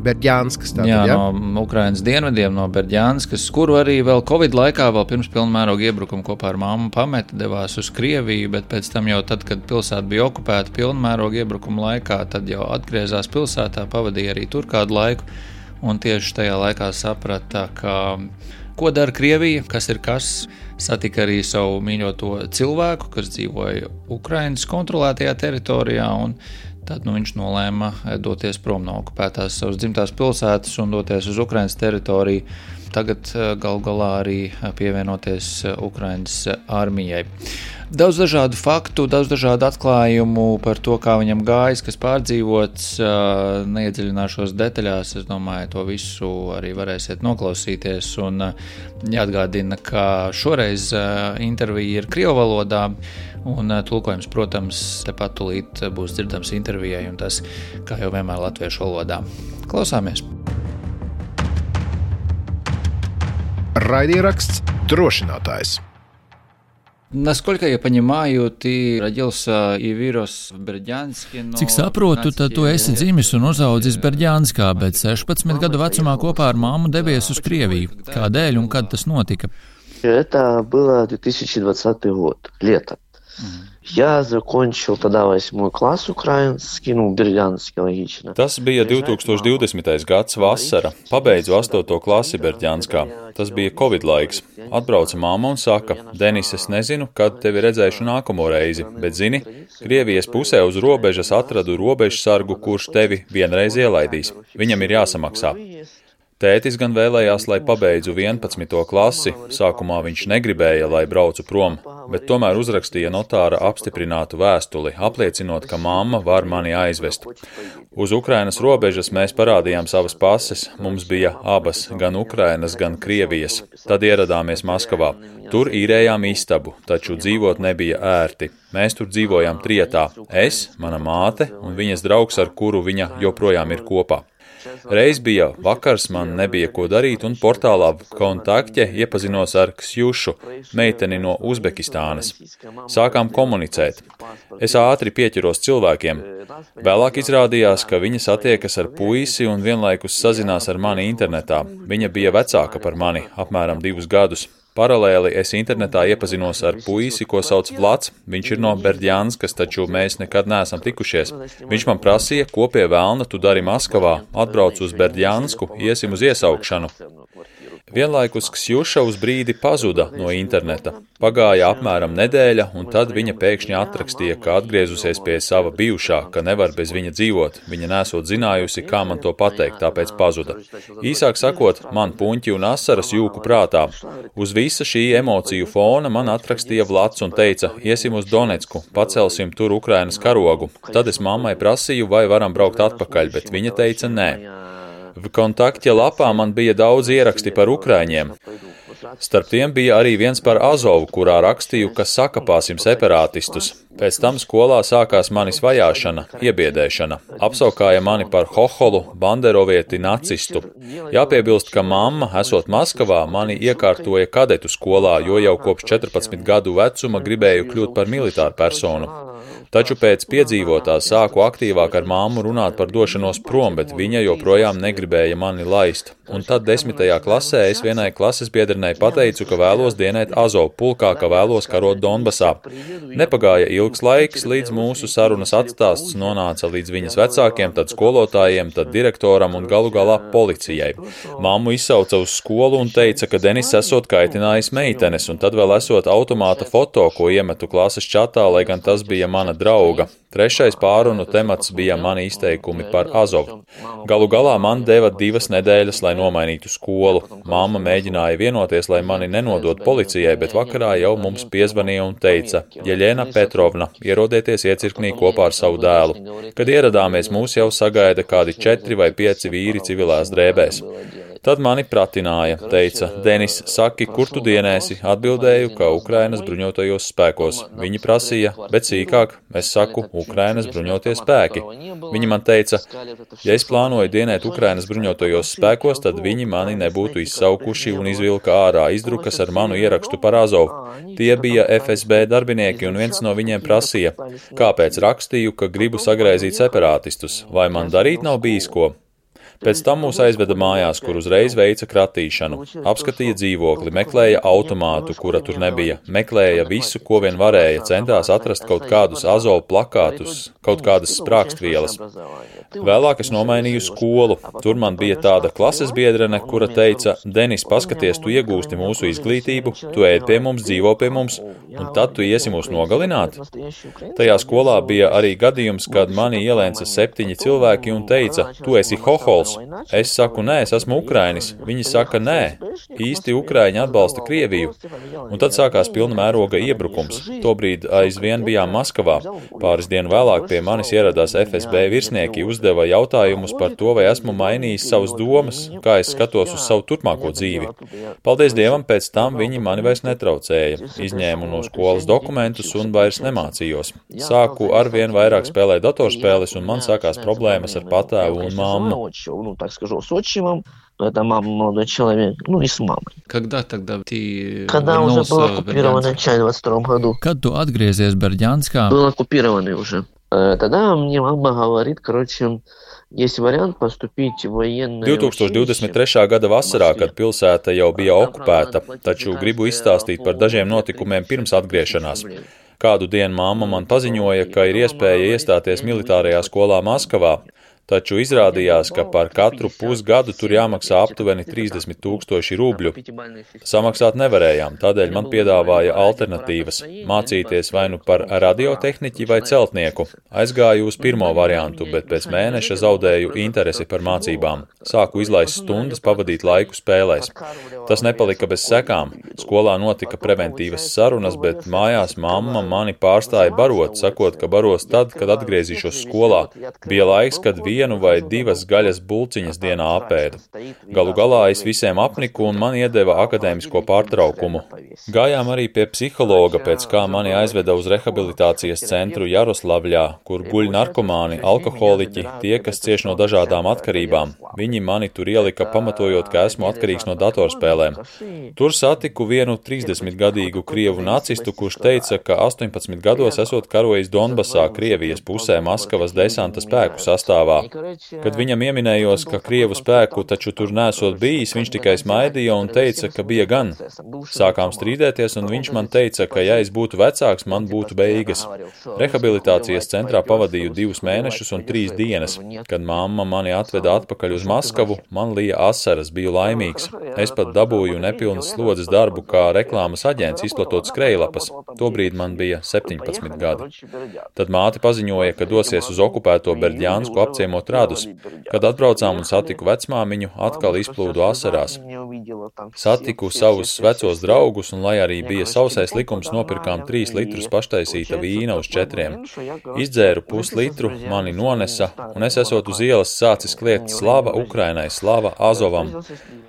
S2: Berģānskas tātad,
S1: jā? No Ukrainas dienvidiem, no Berģānskas, kuru arī vēl Covid laikā, vēl pirms pilnmēroga iebrukuma kopā ar mammu pameta, devās uz Krieviju, bet pēc tam jau tad, kad pilsēta bija okupēta pilnmēroga iebrukuma laikā, tad jau atgriezās pilsētā, pavadīja arī tur kādu laiku. Un tieši tajā laikā saprata, ko dara Krievija, kas ir kas. Satika arī savu mīļoto cilvēku, kas dzīvoja Ukrainas kontrolētajā teritorijā, un tad viņš nolēma doties prom no okupētās savas dzimtās pilsētas un doties uz Ukrainas teritoriju. Tagad galu galā arī pievienoties Ukrainas armijai. Daudz dažādu faktu, daudz dažādu atklājumu par to, kā viņam gājis, kas pārdzīvots. Neiedziļināšos detaļās, es domāju, to visu arī varēsiet noklausīties. Un jāatgādina, ka šoreiz intervija ir krievu valodā, Un tulkojums, protams, tepat tūlīt būs dzirdams intervijai, un tas, kā jau vienmēr latviešu valodā. Klausāmies!
S2: Raidieraksts Drošinātājs.
S1: Насколько я понимаю, ты родился и вырос в Бердянске, но...
S4: Cik saprotu, tad tu esi dzimis un uzaudzis Berģānskā, bet 16 gadu vecumā kopā ar mammu devies uz Krieviju. Kādēļ un kad tas notika?
S5: Это было 2020 год, лето. Я закончил тогда 8 класс украинский, Бердянский, логично.
S6: Tas bija 2020. gads vasara. Pabeidzu 8. klasi Berģānskā. Tas bija Covid laiks. Atbrauca mamma un saka, Denis, es nezinu, kad tevi redzēšu nākamo reizi, bet zini, Krievijas pusē uz robežas atradu robežsargu, kurš tevi vienreiz ielaidīs. Viņam ir jāsamaksā. Tētis gan vēlējās, lai pabeidzu 11. klasi, sākumā viņš negribēja, lai braucu prom, bet tomēr uzrakstīja notāra apstiprinātu vēstuli, apliecinot, ka mamma var mani aizvest. Uz Ukrainas robežas mēs parādījām savas pases, mums bija abas, gan Ukrainas, gan Krievijas. Tad ieradāmies Maskavā. Tur īrējām istabu, taču dzīvot nebija ērti. Mēs tur dzīvojām trietā, es, mana māte un viņas draugs, ar kuru viņa joprojām ir kopā. Reiz bija vakars, man nebija ko darīt, un portālā Kontakte iepazinos ar Ksjušu, meiteni no Uzbekistānas. Sākām komunicēt. Es ātri pieķeros cilvēkiem. Vēlāk izrādījās, ka viņa satiekas ar puisi un vienlaikus sazinās ar mani internetā. Viņa bija vecāka par mani, apmēram 2 gadus. Paralēli es internetā iepazinos ar puisi, ko sauc Vlads. Viņš ir no Berģānskas, taču mēs nekad neesam tikušies. Viņš man prasīja, ko pie velna tu dari Maskavā, atbrauc uz Berģānsku, iesim uz iesaukšanu. Vienlaikus Ksjuša uz brīdi pazuda no interneta. Pagāja apmēram nedēļa, un tad viņa pēkšņi atrakstīja, ka atgriezusies pie sava bijušā, ka nevar bez viņa dzīvot. Viņa nesot zinājusi, kā man to pateikt, tāpēc pazuda. Īsāk sakot, man puņķi un asaras jūku prātā. Uz visa šī emociju fona man atrakstīja Vlads un teica, iesim uz Donetsku, pacelsim tur Ukrainas karogu. Tad es mammai prasīju, vai varam braukt atpakaļ, bet viņa teica nē. Kontakte lapā man bija daudz ieraksti par ukraiņiem. Starp tiem bija arī viens par Azovu, kurā rakstīju, ka sakapāsim separātistus. Pēc tam skolā sākās manis vajāšana, iebiedēšana. Apsaukāja mani par hoholu, banderovieti, nacistu. Jāpiebilst, ka mamma, esot Maskavā, mani iekārtoja kadetu skolā, jo jau kopš 14 gadu vecuma gribēju kļūt par militāru personu. Taču pēc piedzīvotā sāku aktīvāk ar māmu runāt par došanos prom, bet viņa joprojām negribēja mani laist. Un tad 10. klasē es vienai klases biedrenei pateicu, ka vēlos dienēt Azovu pulkā, ka vēlos karot Donbasā. Nepagāja ilgs laiks, līdz mūsu sarunas atstāsts nonāca līdz viņas vecākiem, tad skolotājiem, tad direktoram un galu galā policijai. Mammu izsauca uz skolu un teica, ka Denis esot kaitinājis meitenes, un tad vēl esot automāta foto, ko iemetu klases čatā, lai gan tas bija mana drauga. Trešais pārunu temats bija mani izteikumi par Azovu. Galu galā man deva 2 nedēļas, lai nomainītu skolu. Mamma mēģināja vienoties, lai mani nenodot policijai, bet vakarā jau mums piezvanīja un teica, Jeļena Petrovna, ierodieties iecirknī kopā ar savu dēlu. Kad ieradāmies, mūs jau sagaida kādi 4 vai 5 vīri civilās drēbēs. Tad mani pratināja, teica, Denis, saki, kur tu dienēsi? Atbildēju, ka Ukrainas bruņotajos spēkos. Viņi prasīja, bet sīkāk, es saku, Ukrainas bruņotie spēki. Viņi man teica, ja es plānoju dienēt Ukrainas bruņotajos spēkos, tad viņi mani nebūtu izsaukuši un izvilka ārā izdrukas ar manu ierakstu par Azovu. Tie bija FSB darbinieki un viens no viņiem prasīja, kāpēc rakstīju, ka gribu sagraizīt separātistus, vai man darīt nav bijis ko. Pēc tam mūs aizveda mājās, kur uzreiz veica kratīšanu. Apskatīja dzīvokli, meklēja automātu, kura tur nebija, meklēja visu, ko vien varēja, centās atrast kaut kādus Azovu plakātus, kaut kādas sprākstvielas. Vēlāk es nomainīju skolu. Tur man bija tāda klases biedrene, kura teica, Denis, paskaties, tu iegūsti mūsu izglītību, tu ēd pie mums, dzīvo pie mums, un tad tu iesi mūs nogalināt. Tajā skolā bija arī gadījums, kad mani ielēca 7 cilvēki un teica, tu esi hohols, mums. Es saku, nē, es esmu Ukrainis. Viņi saka, nē, īsti Ukraiņi atbalsta Krieviju. Un tad sākās pilna mēroga iebrukums. Tobrīd aizvien bijām Maskavā. Pāris dienu vēlāk pie manis ieradās FSB virsnieki, uzdeva jautājumus par to, vai esmu mainījis savas domas, kā es skatos uz savu turpmāko dzīvi. Paldies Dievam, pēc tam viņi mani vairs netraucēja. Izņēmu no skolas dokumentus un vairs nemācījos. Sāku arvien vairāk spēlēt datorspēles un man sākās problēmas ar patēvu un mammu.
S5: Это мама, молодой человек, и с мамой.
S1: Когда тогда ты
S5: Когда уже был оккупирован начале в 22 году.
S4: Kad tu atgriezies Berģanskā?
S5: Был оккупированный уже. Тогда мне мама говорит, есть вариант поступить в военное
S6: 2023. Gada vasarā, kad pilsēta jau bija okupēta, taču gribu izstāstīt par dažiem notikumiem pirms atgriešanās. Kādu dienu mamma man paziņoja, ka ir iespēja iestāties militārajā skolā Maskavā, taču izrādījās, ka par katru pusgadu tur jāmaksā aptuveni 30 000 rubļu. Samaksāt nevarējām, tādēļ man piedāvāja alternatīvas – mācīties vai nu par radiotehniķi vai celtnieku. Aizgāju uz pirmo variantu, bet pēc mēneša zaudēju interesi par mācībām. Sāku izlaist stundas, pavadīt laiku spēlēs. Tas nepalika bez sekām. Skolā notika preventīvas sarunas, bet mājās mamma mani pārstāja barot, sakot, ka baros tad, kad atgriezīšos skolā. Bija laiks, kad vienu vai divas gaļas bulciņas dienā apēdu. Galu galā es visiem apniku un man iedeva akadēmisko pārtraukumu. Gājām arī pie psihologa, pēc kā mani aizveda uz rehabilitācijas centru Jaroslavļā, kur guļ narkomāni, alkoholiķi, tie, kas cieš no dažādām atkarībām. Viņi mani tur ielika pamatojot, ka esmu atkarīgs no datorspēlēm. Tur satiku vienu 30-gadīgu krievu nacistu, kurš teica, ka 18 gados esot karojis Donbasā, Krievijas pusē Maskavas desanta spēku sastāvā. Kad viņam ieminējos, ka krievu spēku taču tur nesot bijis, viņš tikai smaidīja un teica, ka bija gan. Sākām strīdēties, un viņš man teica, ka ja es būtu vecāks, man būtu beigas. Rehabilitācijas centrā pavadīju 2 mēnešus un 3 dienas. Kad mamma mani atveda atpakaļ uz Maskavu, man lija asaras, biju laimīgs. Es pat dabūju nepilnas slodzes darbu kā reklāmas aģents, izplatot skrejlapas. Tobrīd man bija 17 gadi. Tad māte paziņoja, ka dosies uz okupēto Berģansku apciemot radus. Kad atbraucām un satiku vecmāmiņu, atkal izplūdu asarās. Satiku savus vecos draugus, un lai arī bija sausais likums, nopirkām 3 litrus paštaisīta vīna uz 4. Izdzēru puslitru, mani nonesa, un es esot uz ielas sācis kliegt slava Ukrainai, slava Azovam.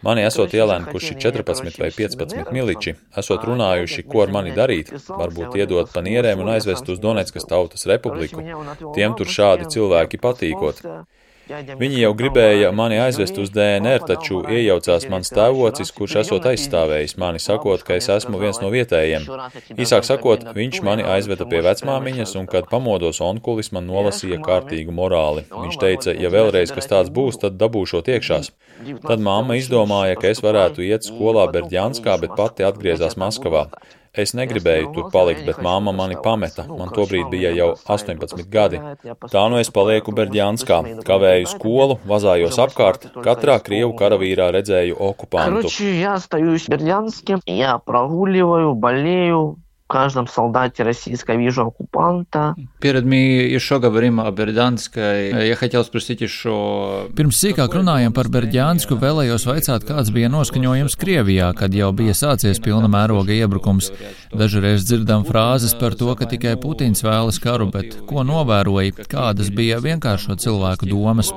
S6: Mani esot ielēnkuši 14 vai 15 miliči, esot runājuši, ko ar mani darīt, varbūt iedot pa nierēm un aizvest uz Doneckas Tautas Republiku. Tiem tur šādi cilvēki patīkot. Viņi jau gribēja mani aizvest uz DNR, taču iejaucās mans tēvocis, kurš esot aizstāvējis mani, sakot, ka es esmu viens no vietējiem. Īsāk sakot, viņš mani aizveda pie vecmāmiņas, un kad pamodos onkulis man nolasīja kārtīgu morāli. Viņš teica, ja vēlreiz kas tāds būs, tad dabūšot iekšās. Tad mamma izdomāja, ka es varētu iet skolā Berģanskā, bet pati atgriezās Maskavā. Es negribēju tur palikt, bet mamma mani pameta. Man tobrīd bija jau 18 gadi. Tā nu es palieku Berģanskā, kavēju skolu, vazājos apkārt, katrā krievu karavīrā redzēju okupantu.
S5: В каждом солдате российском вижу оккупанта.
S1: Перед мы еще говорим о Бердянской. Я хотел спросить еще...
S4: Pirms sīkāk runājam par Berģansku, vēlējos vaicāt, kāds bija noskaņojums Krievijā, kad jau bija sācies pilna mēroga iebrukums. Dažreiz dzirdam frāzes par to, ka tikai Putins vēlas karu, bet ko novēroja, kādas bija vienkāršo cilvēku domas?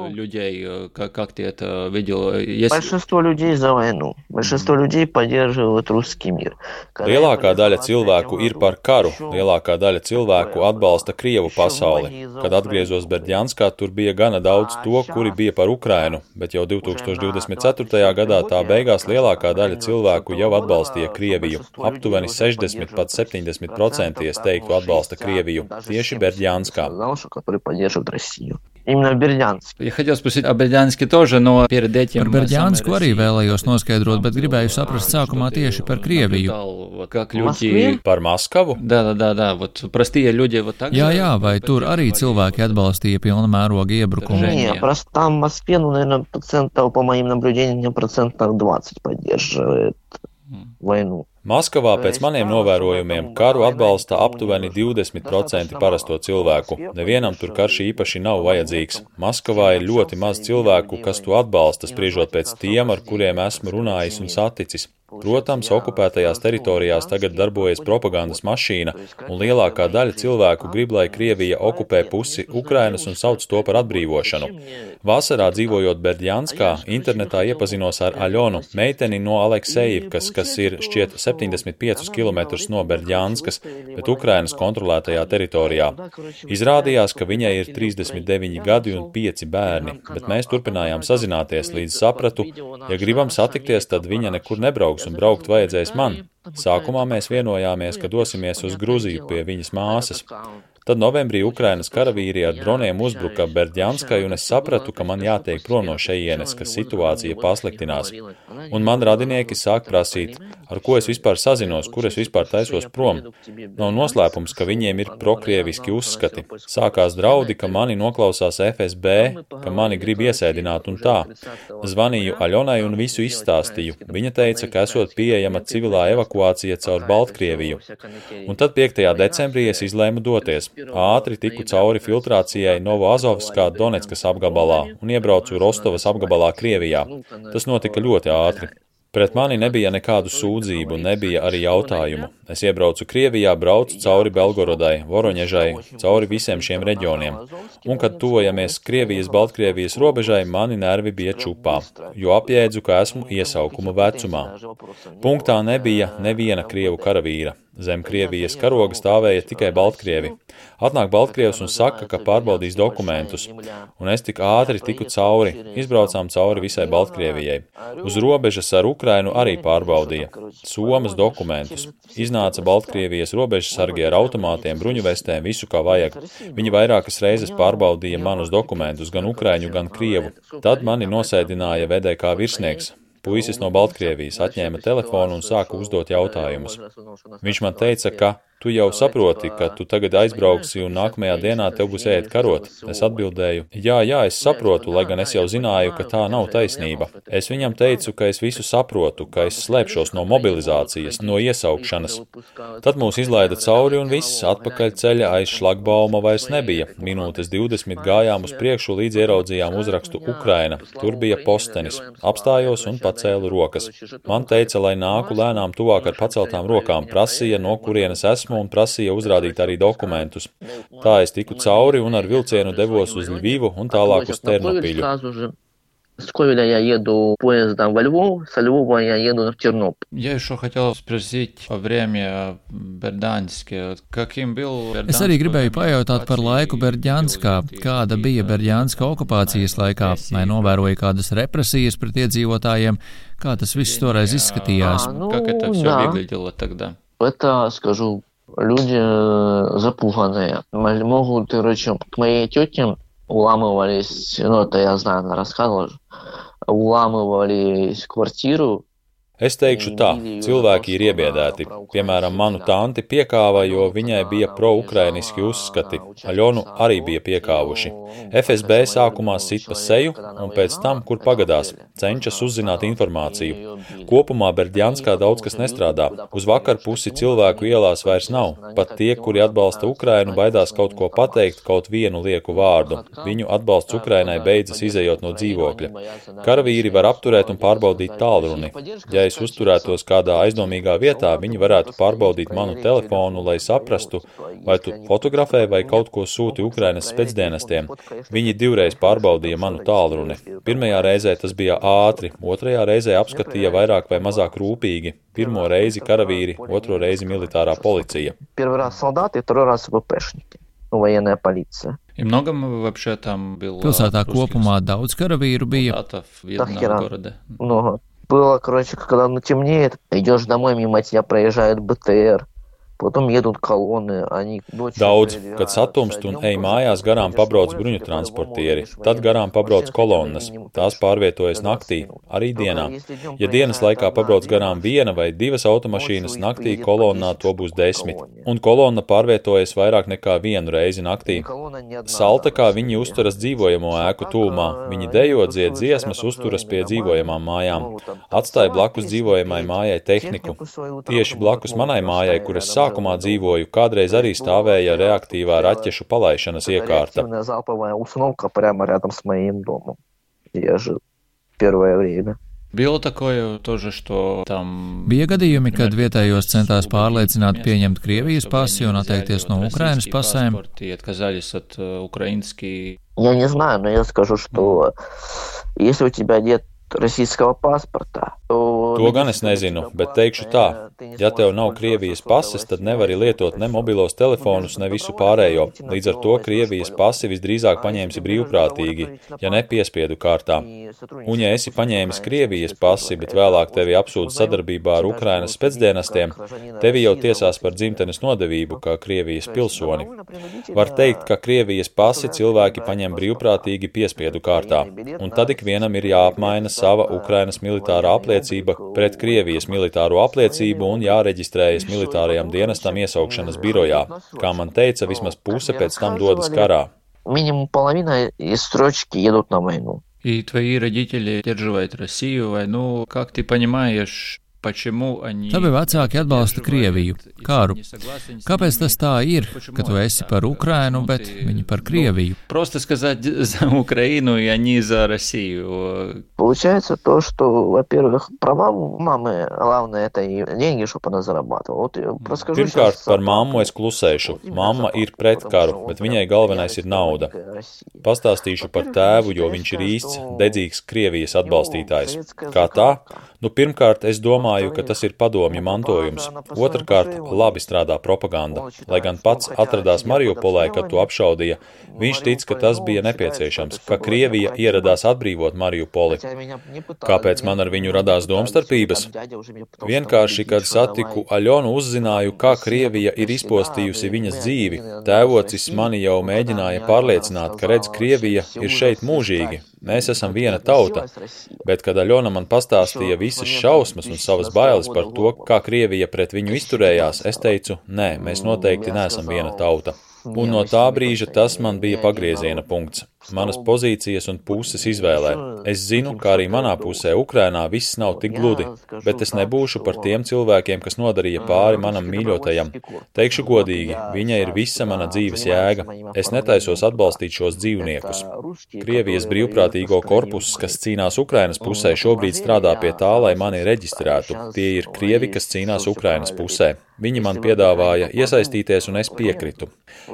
S5: Большинство людей за войну. Большинство людей поддерживают русский мир.
S6: Lielākā daļa cilvēku ir par karu. Lielākā daļa cilvēku atbalsta Krievu pasauli. Kad atgriezos Berģanskā, tur bija gana daudz to, kuri bija par Ukrainu, bet jau 2024. gadā tā beigās lielākā daļa cilvēku jau atbalstīja Krieviju. Aptuveni 60 pat 70% es teiktu atbalsta Krieviju. Tieši Berģanskā.
S5: Именно в Бердянске.
S1: Я хотел спросить о Бердянске тоже, но перед этим...
S4: Par Berģansku arī vēlējos noskaidrot, bet gribēju saprast sākumā tieši par Krieviju.
S1: Как люди...
S6: Par Maskavu?
S1: Да. Вот простые люди вот так.
S4: Jā, vai tur arī cilvēki atbalstīja pilna mēroga iebrukumu?
S5: Не, просто там в Москве, наверное, по моим наблюдениям, 20% поддерживает. войну.
S6: Maskavā pēc maniem novērojumiem karu atbalsta aptuveni 20% parasto cilvēku. Nevienam tur karš īpaši nav vajadzīgs. Maskavā ir ļoti maz cilvēku, kas to atbalsta, spriežot pēc tiem, ar kuriem esmu runājis un saticis. Protams, okupētajās teritorijās tagad darbojas propagandas mašīna, un lielākā daļa cilvēku grib, lai Krievija okupē pusi Ukrainas un sauc to par atbrīvošanu. Vasarā dzīvojot Berdjanskā, internetā iepazinos ar Aļonu, meiteni no Aleksejivkas, kas ir šķiet 75 km no Berdjanskas, bet Ukrainas kontrolētajā teritorijā. Izrādījās, ka viņai ir 39 gadi un 5 bērni, bet mēs turpinājām sazināties, līdz sapratu, ja gribam satikties, tad viņa nekur nebrauks un braukt vajadzēs man. Sākumā mēs vienojāmies, ka dosimies uz Gruziju pie viņas māsas. Tad novembrī Ukrainas karavīri ar droniem uzbruka Berdjanskai, un es sapratu, ka man jātiek prom no šejienes, ka situācija pasliktinās. Un man radinieki sāk prasīt, ar ko es vispār sazinos, kur es vispār taisos prom. Nav noslēpums, ka viņiem ir prokrieviski uzskati. Sākās draudi, ka mani noklausās FSB, ka mani grib iesēdināt un tā. Zvanīju Aļonai un visu izstāstīju. Viņa teica, ka esot pieejama civilā evakuācija caur Baltkrieviju. Un tad 5. decembrī es izlēmu doties. Ātri tiku cauri filtrācijai Novoazovskā Donetskas apgabalā un iebraucu Rostovas apgabalā Krievijā. Tas notika ļoti ātri. Pret mani nebija nekādu sūdzību, nebija arī jautājumu. Es iebraucu Krievijā, braucu cauri Belgorodai, Voroņežai, cauri visiem šiem reģioniem. Un, kad tuvojamies Krievijas-Baltkrievijas robežai, mani nervi bija čupā, jo apjēdzu, ka esmu iesaukuma vecumā. Punktā nebija neviena krievu karavīra. Zem Krievijas karoga stāvēja tikai Baltkrievi. Atnāk Baltkrievs un saka, ka pārbaudīs dokumentus. Un es tik ātri tiku cauri, izbraucām cauri visai Baltkrievijai. Uz robežas ar Ukrainu arī pārbaudīja. Somas dokumentus. Iznāca Baltkrievijas robežsargi ar automātiem, bruņuvestēm, visu kā vajag. Viņi vairākas reizes pārbaudīja manus dokumentus, gan ukraiņu, gan krievu. Tad mani nosēdināja VDK virsnieks. Puisis no Baltkrievijas atņēma telefonu un sāka uzdot jautājumus. Viņš man teica, ka tu jau saproti, ka tu tagad aizbrauksi un nākamajā dienā tev būs jāiet karot. Es atbildēju, jā, es saprotu, lai gan es jau zināju, ka tā nav taisnība. Es viņam teicu, ka es visu saprotu, ka es slēpšos no mobilizācijas, no iesaukšanas. Tad mūs izlaida cauri un viss, atpakaļ ceļa aiz šlagbauma vairs nebija. Minūtes 20 gājām uz priekšu, līdz ieraudzījām uzrakstu Ukraina. Tur bija postenis. Apstājos un pacēlu rokas. Man teica, lai nāku lēnām tuvāk ar paceltām rokām, prasīja, no kurienes esmu, un prasīja uzrādīt arī dokumentus. Tā es tiku cauri un ar vilcienu devos uz Ļvivu un tālāk uz Ternopiļu.
S5: С Ковеля я еду поездом во Львов, со Львова я еду в Тернополь.
S1: Я еще хотел спросить о время Berdjansке. Каким был Berdjansk?
S4: Es arī gribēju pajautāt par laiku Berdjanskā. Kāda bija Berdjanska okupācijas laikā? Vai novēroja kādas represijas pret iedzīvotājiem? Kā tas viss toreiz izskatījās?
S1: Как это все выглядело тогда?
S5: Это, скажу, люди запуганные. Могут, короче, к моей тете уламывались, это я знаю, она рассказывала, уламывались квартиру.
S6: Es teikšu tā, cilvēki ir iebiedēti. Piemēram, manu tanti piekāva, jo viņai bija pro-ukrainiski uzskati. Aļonu arī bija piekāvuši. FSB sākumā sit pa seju, un pēc tam, kur pagadās, cenšas uzzināt informāciju. Kopumā Berdjanskā daudz kas nestrādā. Uz vakar pusi cilvēku ielās vairs nav. Pat tie, kuri atbalsta Ukrainu, baidās kaut ko pateikt, kaut vienu lieku vārdu. Viņu atbalsts Ukrainai beidzas izejot no dzīvokļa. Karavīri var apturēt un pārbaudīt tālruni. Ja es uzturētos kādā aizdomīgā vietā, viņi varētu pārbaudīt manu telefonu, lai saprastu, vai tu fotografē vai kaut ko sūti Ukrainas specdienestiem. Viņi 2 reizes pārbaudīja manu tālruni. Pirmajā reizē tas bija ātri, otrajā reizē apskatīja vairāk vai mazāk rūpīgi. Pirmo reizi karavīri, otro reizi militārā policija.
S5: Первый раз солдаты, второй раз ВПшники, военная полиция.
S1: И много вообще там было?
S4: Pilsētā kopumā daudz karavīru bija.
S5: Много. Было, короче, когда темнеет, идешь домой, мимо тебя проезжает БТР,
S6: Daudz, kad satumst un ej mājās, garām pabrauc bruņu transportieri, tad garām pabrauc kolonnas, tās pārvietojas naktī, arī dienā. Ja dienas laikā pabrauc garām 1 vai 2 automašīnas, naktī kolonnā to būs 10, un kolonna pārvietojas vairāk nekā 1 reizi naktī. Salta, kā viņi uzturas dzīvojamo ēku tūmā, viņi dejo, dzied dziesmas, uzturas pie dzīvojamām mājām, atstāja blakus dzīvojamai mājai tehniku. Tieši blakus manai mājai, kuras sākumā dzīvoju, kādreiz arī stāvēja reaktīvā raķešu palaišanas iekārta.
S4: Bija gadījumi, kad vietējos centās pārliecināt pieņemt Krievijas pasi un atteikties no Ukrainas pasēm.
S5: Я не знаю, но я скажу, что если у тебя нет российского паспорта,
S6: To gan es nezinu, bet teikšu tā, ja tev nav Krievijas pases, tad nevari lietot ne mobilos telefonus, ne visu pārējo. Līdz ar to Krievijas pasi visdrīzāk paņēmsi brīvprātīgi, ja ne piespiedu kārtā. Un ja esi paņēmis Krievijas pasi, bet vēlāk tevi apsūdz sadarbībā ar Ukrainas spēcdienestiem, tevi jau tiesās par dzimtenes nodevību kā Krievijas pilsoni. Var teikt, ka Krievijas pasi cilvēki paņem brīvprātīgi piespiedu kārtā, un tad ikvienam ir jāapmaina sava Ukrainas militārā apliecība pret Krievijas militāro apliecību un jāreģistrējas militārajam dienestam iesaukšanas birojā. Kā man teica, vismaz puse pēc tam dodas karā.
S5: Минимум половина из строчки едут на войну.
S1: И твои родители поддерживают Россию, войну. Как ты понимаешь,
S4: Tavi vecāki atbalsta Krieviju, karu. Kāpēc tas tā ir, ka tu esi par Ukrainu, bet viņi par Krieviju?
S1: Просто сказать за Украину, и они за Россию.
S5: Получается то, что, во-первых, права мамы, главное, это деньги, чтобы она зарабатывала.
S6: Pirmkārt, par mammu es klusēšu. Mamma ir pret karu, bet viņai galvenais ir nauda. Pastāstīšu par tēvu, jo viņš ir īsts, dedzīgs Krievijas atbalstītājs. Kā tā? Pirmkārt, es domāju, ka tas ir padomju mantojums. Otrkārt, labi strādā propaganda. Lai gan pats atradās Mariupolē, kad to apšaudīja, viņš tic, ka tas bija nepieciešams, ka Krievija ieradās atbrīvot Mariupoli. Kāpēc man ar viņu radās domstarpības? Vienkārši, kad satiku Aļonu, uzzināju, kā Krievija ir izpostījusi viņas dzīvi. Tēvocis mani jau mēģināja pārliecināt, ka redz, Krievija ir šeit mūžīgi. Mēs esam viena tauta, bet, kad Aļona man pastāstīja visas šausmas un savas bailes par to, kā Krievija pret viņu izturējās, es teicu, nē, mēs noteikti neesam viena tauta. Un no tā brīža tas man bija pagrieziena punkts. Manas pozīcijas un puses izvēlē. Es zinu, ka arī manā pusē Ukrainā viss nav tik gludi, bet es nebūšu par tiem cilvēkiem, kas nodarīja pāri manam mīļotajam. Teikšu godīgi, viņa ir visa mana dzīves jēga. Es netaisos atbalstīt šos dzīvniekus. Krievijas brīvprātīgo korpuss, kas cīnās Ukrainas pusē, šobrīd strādā pie tā, lai mani reģistrētu. Tie ir krievi, kas cīnās Ukrainas pusē. Viņi man piedāvāja iesaistīties, un es piekritu.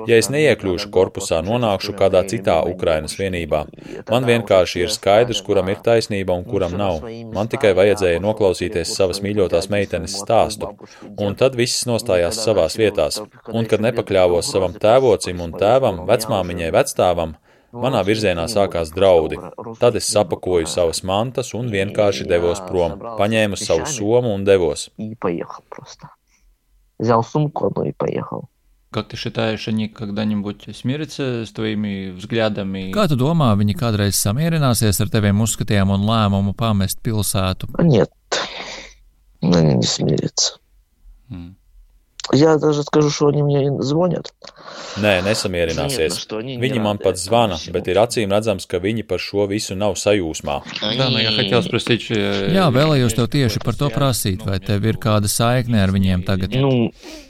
S6: Ja es neiekļūšu korpusā, nonākšu kādā citā Ukrainas vienībā. Man vienkārši ir skaidrs, kuram ir taisnība un kuram nav. Man tikai vajadzēja noklausīties savas mīļotās meitenes stāstu. Un tad viss nostājās savās vietās. Un kad nepakļāvos savam tēvocim un tēvam, vecmāmiņai, vecstāvam, manā virzienā sākās draudi. Tad es sapakoju savas mantas un vienkārši devos prom. Paņēmu savu somu un devos.
S5: Взял сумку одну и поехал.
S1: Как ты считаешь, они когда-нибудь смирятся с твоими взглядами?
S4: Kā tu domā, viņi kādreiz samierināsies ar teviem uzskatiem un lēmumu pamest pilsētu?
S5: Нет, они не смирятся. Я даже скажу, что они мне звонят.
S6: Nē, nesamierināsies. Viņi man pat zvana, bet ir acīm redzams, ka viņi par šo visu nav sajūsmā.
S4: Jā, vēlējos tev tieši par to prasīt, vai tev ir kāda saikne ar viņiem tagad?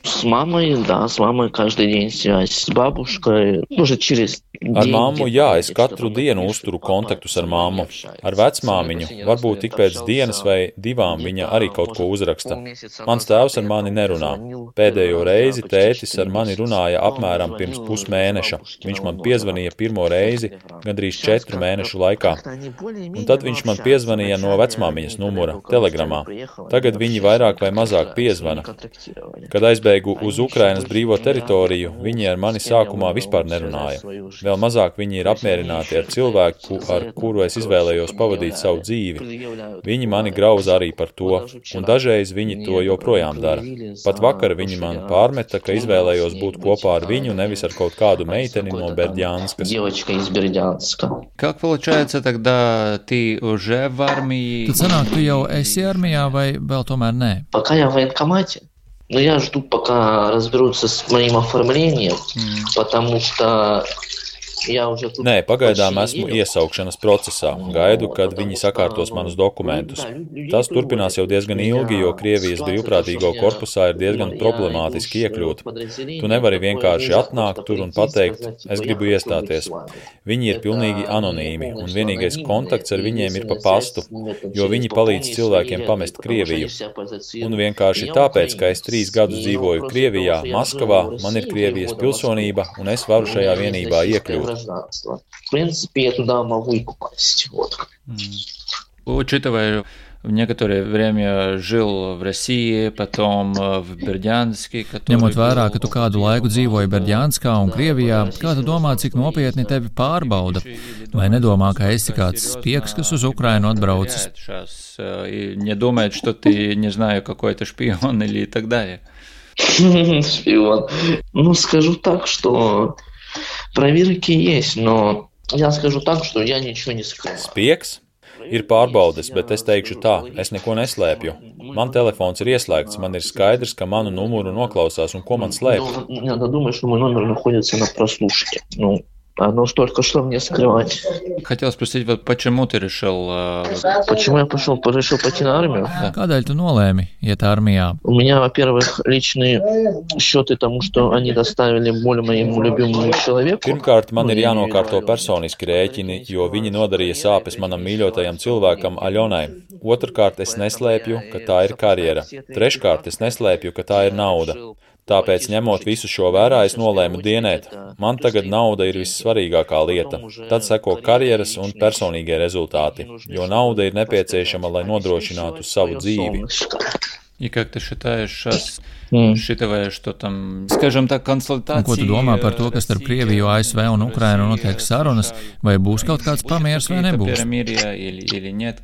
S5: С мамой, да, с мамой каждый день связь, с бабушкой, уже через
S6: Ar mammu, jā, es katru dienu uzturu kontaktus ar mammu. Ar vecmāmiņu, varbūt tik pēc dienas vai divām viņa arī kaut ko uzraksta. Mans tēvs ar mani nerunā. Pēdējo reizi tētis ar mani runāja apmēram pirms pusmēneša. Viņš man piezvanīja pirmo reizi gandrīz 4 mēnešu laikā. Un tad viņš man piezvanīja no vecmāmiņas numura, telegramā. Tagad viņi vairāk vai mazāk piezvana. Kad aizbēgu uz Ukrainas brīvo teritoriju, viņi ar mani sākumā vispār nerunāja. Vēl mazāk viņi ir apmierināti ar cilvēku, ar kuru es izvēlējos pavadīt savu dzīvi. Viņi mani grauza arī par to, un dažreiz viņi to joprojām dara. Pat vakar viņi man pārmeta, ka izvēlējos būt kopā ar viņu, nevis ar kaut kādu meiteni no Бердянсkas.
S1: Как получается тогда, ты уже в армии?
S4: Tad sanāk, tu jau esi armijā vai vēl tomēr nē?
S5: Пока я в военкомате, но я жду, пока разберутся с моим оформлением, потому что
S6: Nē, pagaidām esmu iesaukšanas procesā. Gaidu, kad viņi sakārtos manus dokumentus. Tas turpinās jau diezgan ilgi, jo Krievijas brīvprātīgo korpusā ir diezgan problemātiski iekļūt. Tu nevari vienkārši atnākt tur un pateikt, es gribu iestāties. Viņi ir pilnīgi anonīmi, un vienīgais kontakts ar viņiem ir pa pastu, jo viņi palīdz cilvēkiem pamest Krieviju. Un vienkārši tāpēc, ka es 3 gadus dzīvoju Krievijā, Maskavā, man ir Krievijas pilsonība, un es varu šajā vienībā iekļūt.
S5: В принципе, я туда могу и попасть. Вот.
S1: Учитывая, некоторое время жил в России, потом в Бердянске.
S4: Ņemot vērā, ka tu kādu laiku dzīvoji Berģānskā un Krievijā, kā tu domā, cik nopietni tevi pārbauda? Vai nedomā, ka esi kāds spiegs, kas uz Ukrainu atbraucis?
S1: Не думает, что ты, не знаю, какой-то шпион или так далее.
S5: Шпион. Ну, скажу так, что проверки есть, но я скажу так, что я ничего не скрываю.
S6: Spiegs? Ir pārbaudes, bet es teikšu tā, es neko neslēpju. Man telefons ir ieslēgts, man ir skaidrs, ka manu numuru noklausās un ko man slēpt.
S5: Надо думать, что мой номер находится на прослушке. Ну, оно столько, что мне скрывать.
S1: Хотел спросить, вот почему ты решил...
S5: Почему я решил пойти на армию?
S4: Kādēļ tu nolēmi iet armijā?
S5: У меня, во-первых, личные счеты тому, что они доставили боль моему любимому человеку.
S6: Pirmkārt, man ir jānokārto personiski rēķini, jo viņi nodarīja sāpes manam mīļotajam cilvēkam Aļonai. Otrkārt, es neslēpju, ka tā ir karjera. Treškārt, es neslēpju, ka tā ir nauda. Tāpēc, ņemot visu šo vērā, es nolēmu dienēt. Man tagad nauda ir vissvarīgākā lieta. Tad seko karjeras un personīgie rezultāti, jo nauda ir nepieciešama, lai nodrošinātu savu dzīvi.
S1: И как ты считаешь, считывая, что там, скажем так, консультации...
S4: Ko tu domā par to, kas starp Krieviju, ASV un Ukrainu notiek sarunas, vai būs kaut kāds pamieris vai nebūs?
S5: Нет,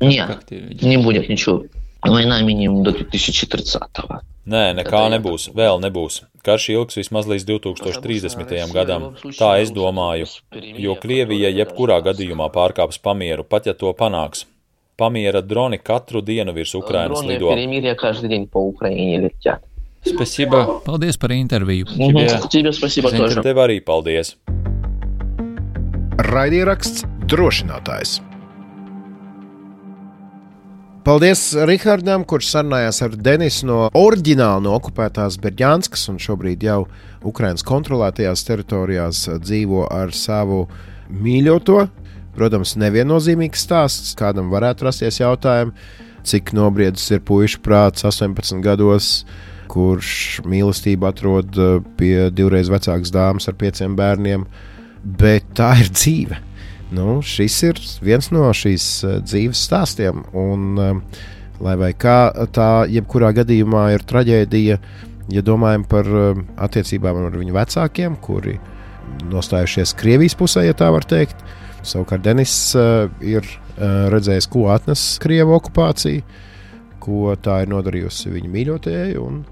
S5: не будет ничего. Война минимум до 2030-го.
S6: Nē, nekā nebūs, vēl nebūs. Karš ilgs vismaz līdz 2030. gadam. Tā es domāju, jo Krievija jebkurā gadījumā pārkāps pamieru, pat ja to panāks. Pamiera droni katru dienu virs Ukrainas lido.
S1: Спасибо.
S4: Paldies par interviju.
S5: Тебе спасибо тоже.
S6: Tev arī paldies.
S2: Raidieraksts Drošinātājs. Paldies Rihardam, kurš sarunājās ar Denisu no oriģināli no okupētās Berģānskas un šobrīd jau Ukrainas kontrolētajās teritorijās dzīvo ar savu mīļoto. Protams, neviennozīmīgs stāsts, kādam varētu rasties jautājumi, cik nobriedis ir puiša prāts 18 gados, kurš mīlestību atrod pie 2 vecākas dāmas ar 5 bērniem, bet tā ir dzīve. Nu, šis ir viens no šīs dzīves stāstiem, un lai vai kā tā jebkurā gadījumā ir traģēdija, ja domājam par attiecībām ar viņu vecākiem, kuri nostājušies Krievijas pusē, ja tā var teikt. Savukārt Denis ir redzējis, ko atnes Krievu okupācija, ko tā ir nodarījusi viņa mīļotajai, un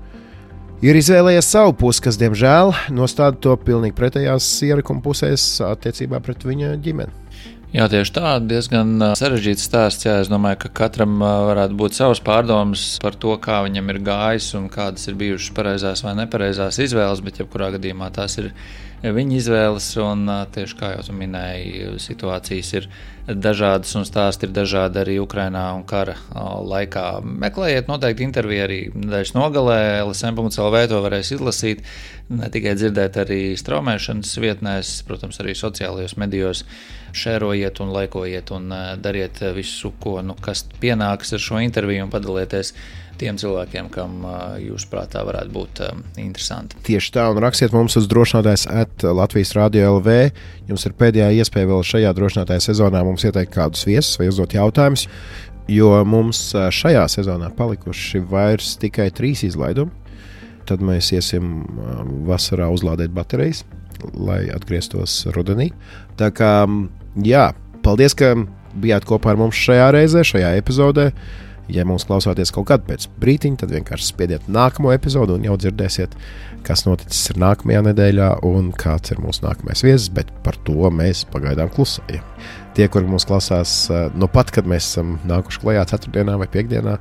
S2: ir izvēlējies savu pusi, kas, diemžēl, nostāda to pilnīgi pretējās ierakuma pusēs attiecībā pret viņa ģimeni.
S1: Jā, tieši tā, diezgan sarežģīts stāsts. Jā, es domāju, ka katram varētu būt savas pārdomas par to, kā viņam ir gājis un kādas ir bijušas pareizās vai nepareizās izvēles, bet jebkurā gadījumā tās ir viņa izvēles, un tieši kā jau tu minēji, situācijas ir dažādas un stāsti ir dažādi arī Ukrainā un kara laikā. Meklējiet noteikti interviju arī nedēļas nogalē, LSM.lv to varēs izlasīt, ne tikai dzirdēt arī straumēšanas vietnēs, protams, arī sociālajos medijos. Šērojiet un laikojiet un dariet visu, ko, kas pienāks ar šo interviju un padalieties tiem cilvēkiem, kam jūs prātā varētu būt interesanti.
S2: Tieši tā, un rakstiet mums uz drošinātājs @Latvijas Radio LV. Jums ir pēdējā iespēja vēl šajā drošinātāja sezonā mums ieteikt kādus viesus vai uzdot jautājumus, jo mums šajā sezonā palikuši vairs tikai 3 izlaidumi. Tad mēs iesim vasarā uzlādēt baterijas. lai atgrieztos rudenī. Tā kā, jā, paldies, ka bijāt kopā ar mums šajā reizē, šajā epizodē. Ja mums klausāties kaut kad pēc brītiņa, tad vienkārši spiediet nākamo epizodu un jau dzirdēsiet, kas noticis ir nākamajā nedēļā un kāds ir mūsu nākamais viesis, bet par to mēs pagaidām klusējam. Tie, kuri mūs klausās no pat, kad mēs esam nākuši klajā ceturtdienā vai piekdienā,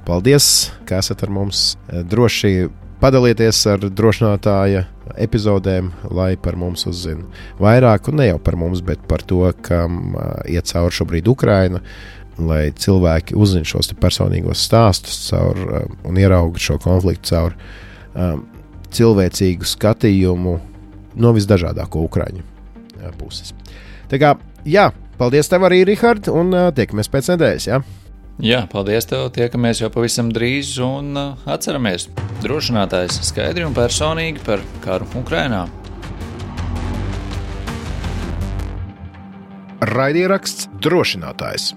S2: paldies, ka esat ar mums. Droši padalieties ar drošinātāja epizodēm, lai par mums uzzina vairāk, un ne jau par mums, bet par to, kam iet cauri šobrīd Ukraina, lai cilvēki uzzina šos personīgos stāstus un ierauga šo konfliktu caur cilvēcīgu skatījumu no visdažādāko ukraiņu puses. Tā kā, jā, paldies tev arī, Rihard, un tiekamies pēc nedēļas, jā?
S1: Jā, paldies tev, tiekamies jau pavisam drīz un atceramies. Drošinātājs skaidri un personīgi par karu Ukrainā.
S2: Raidieraksts Drošinātājs.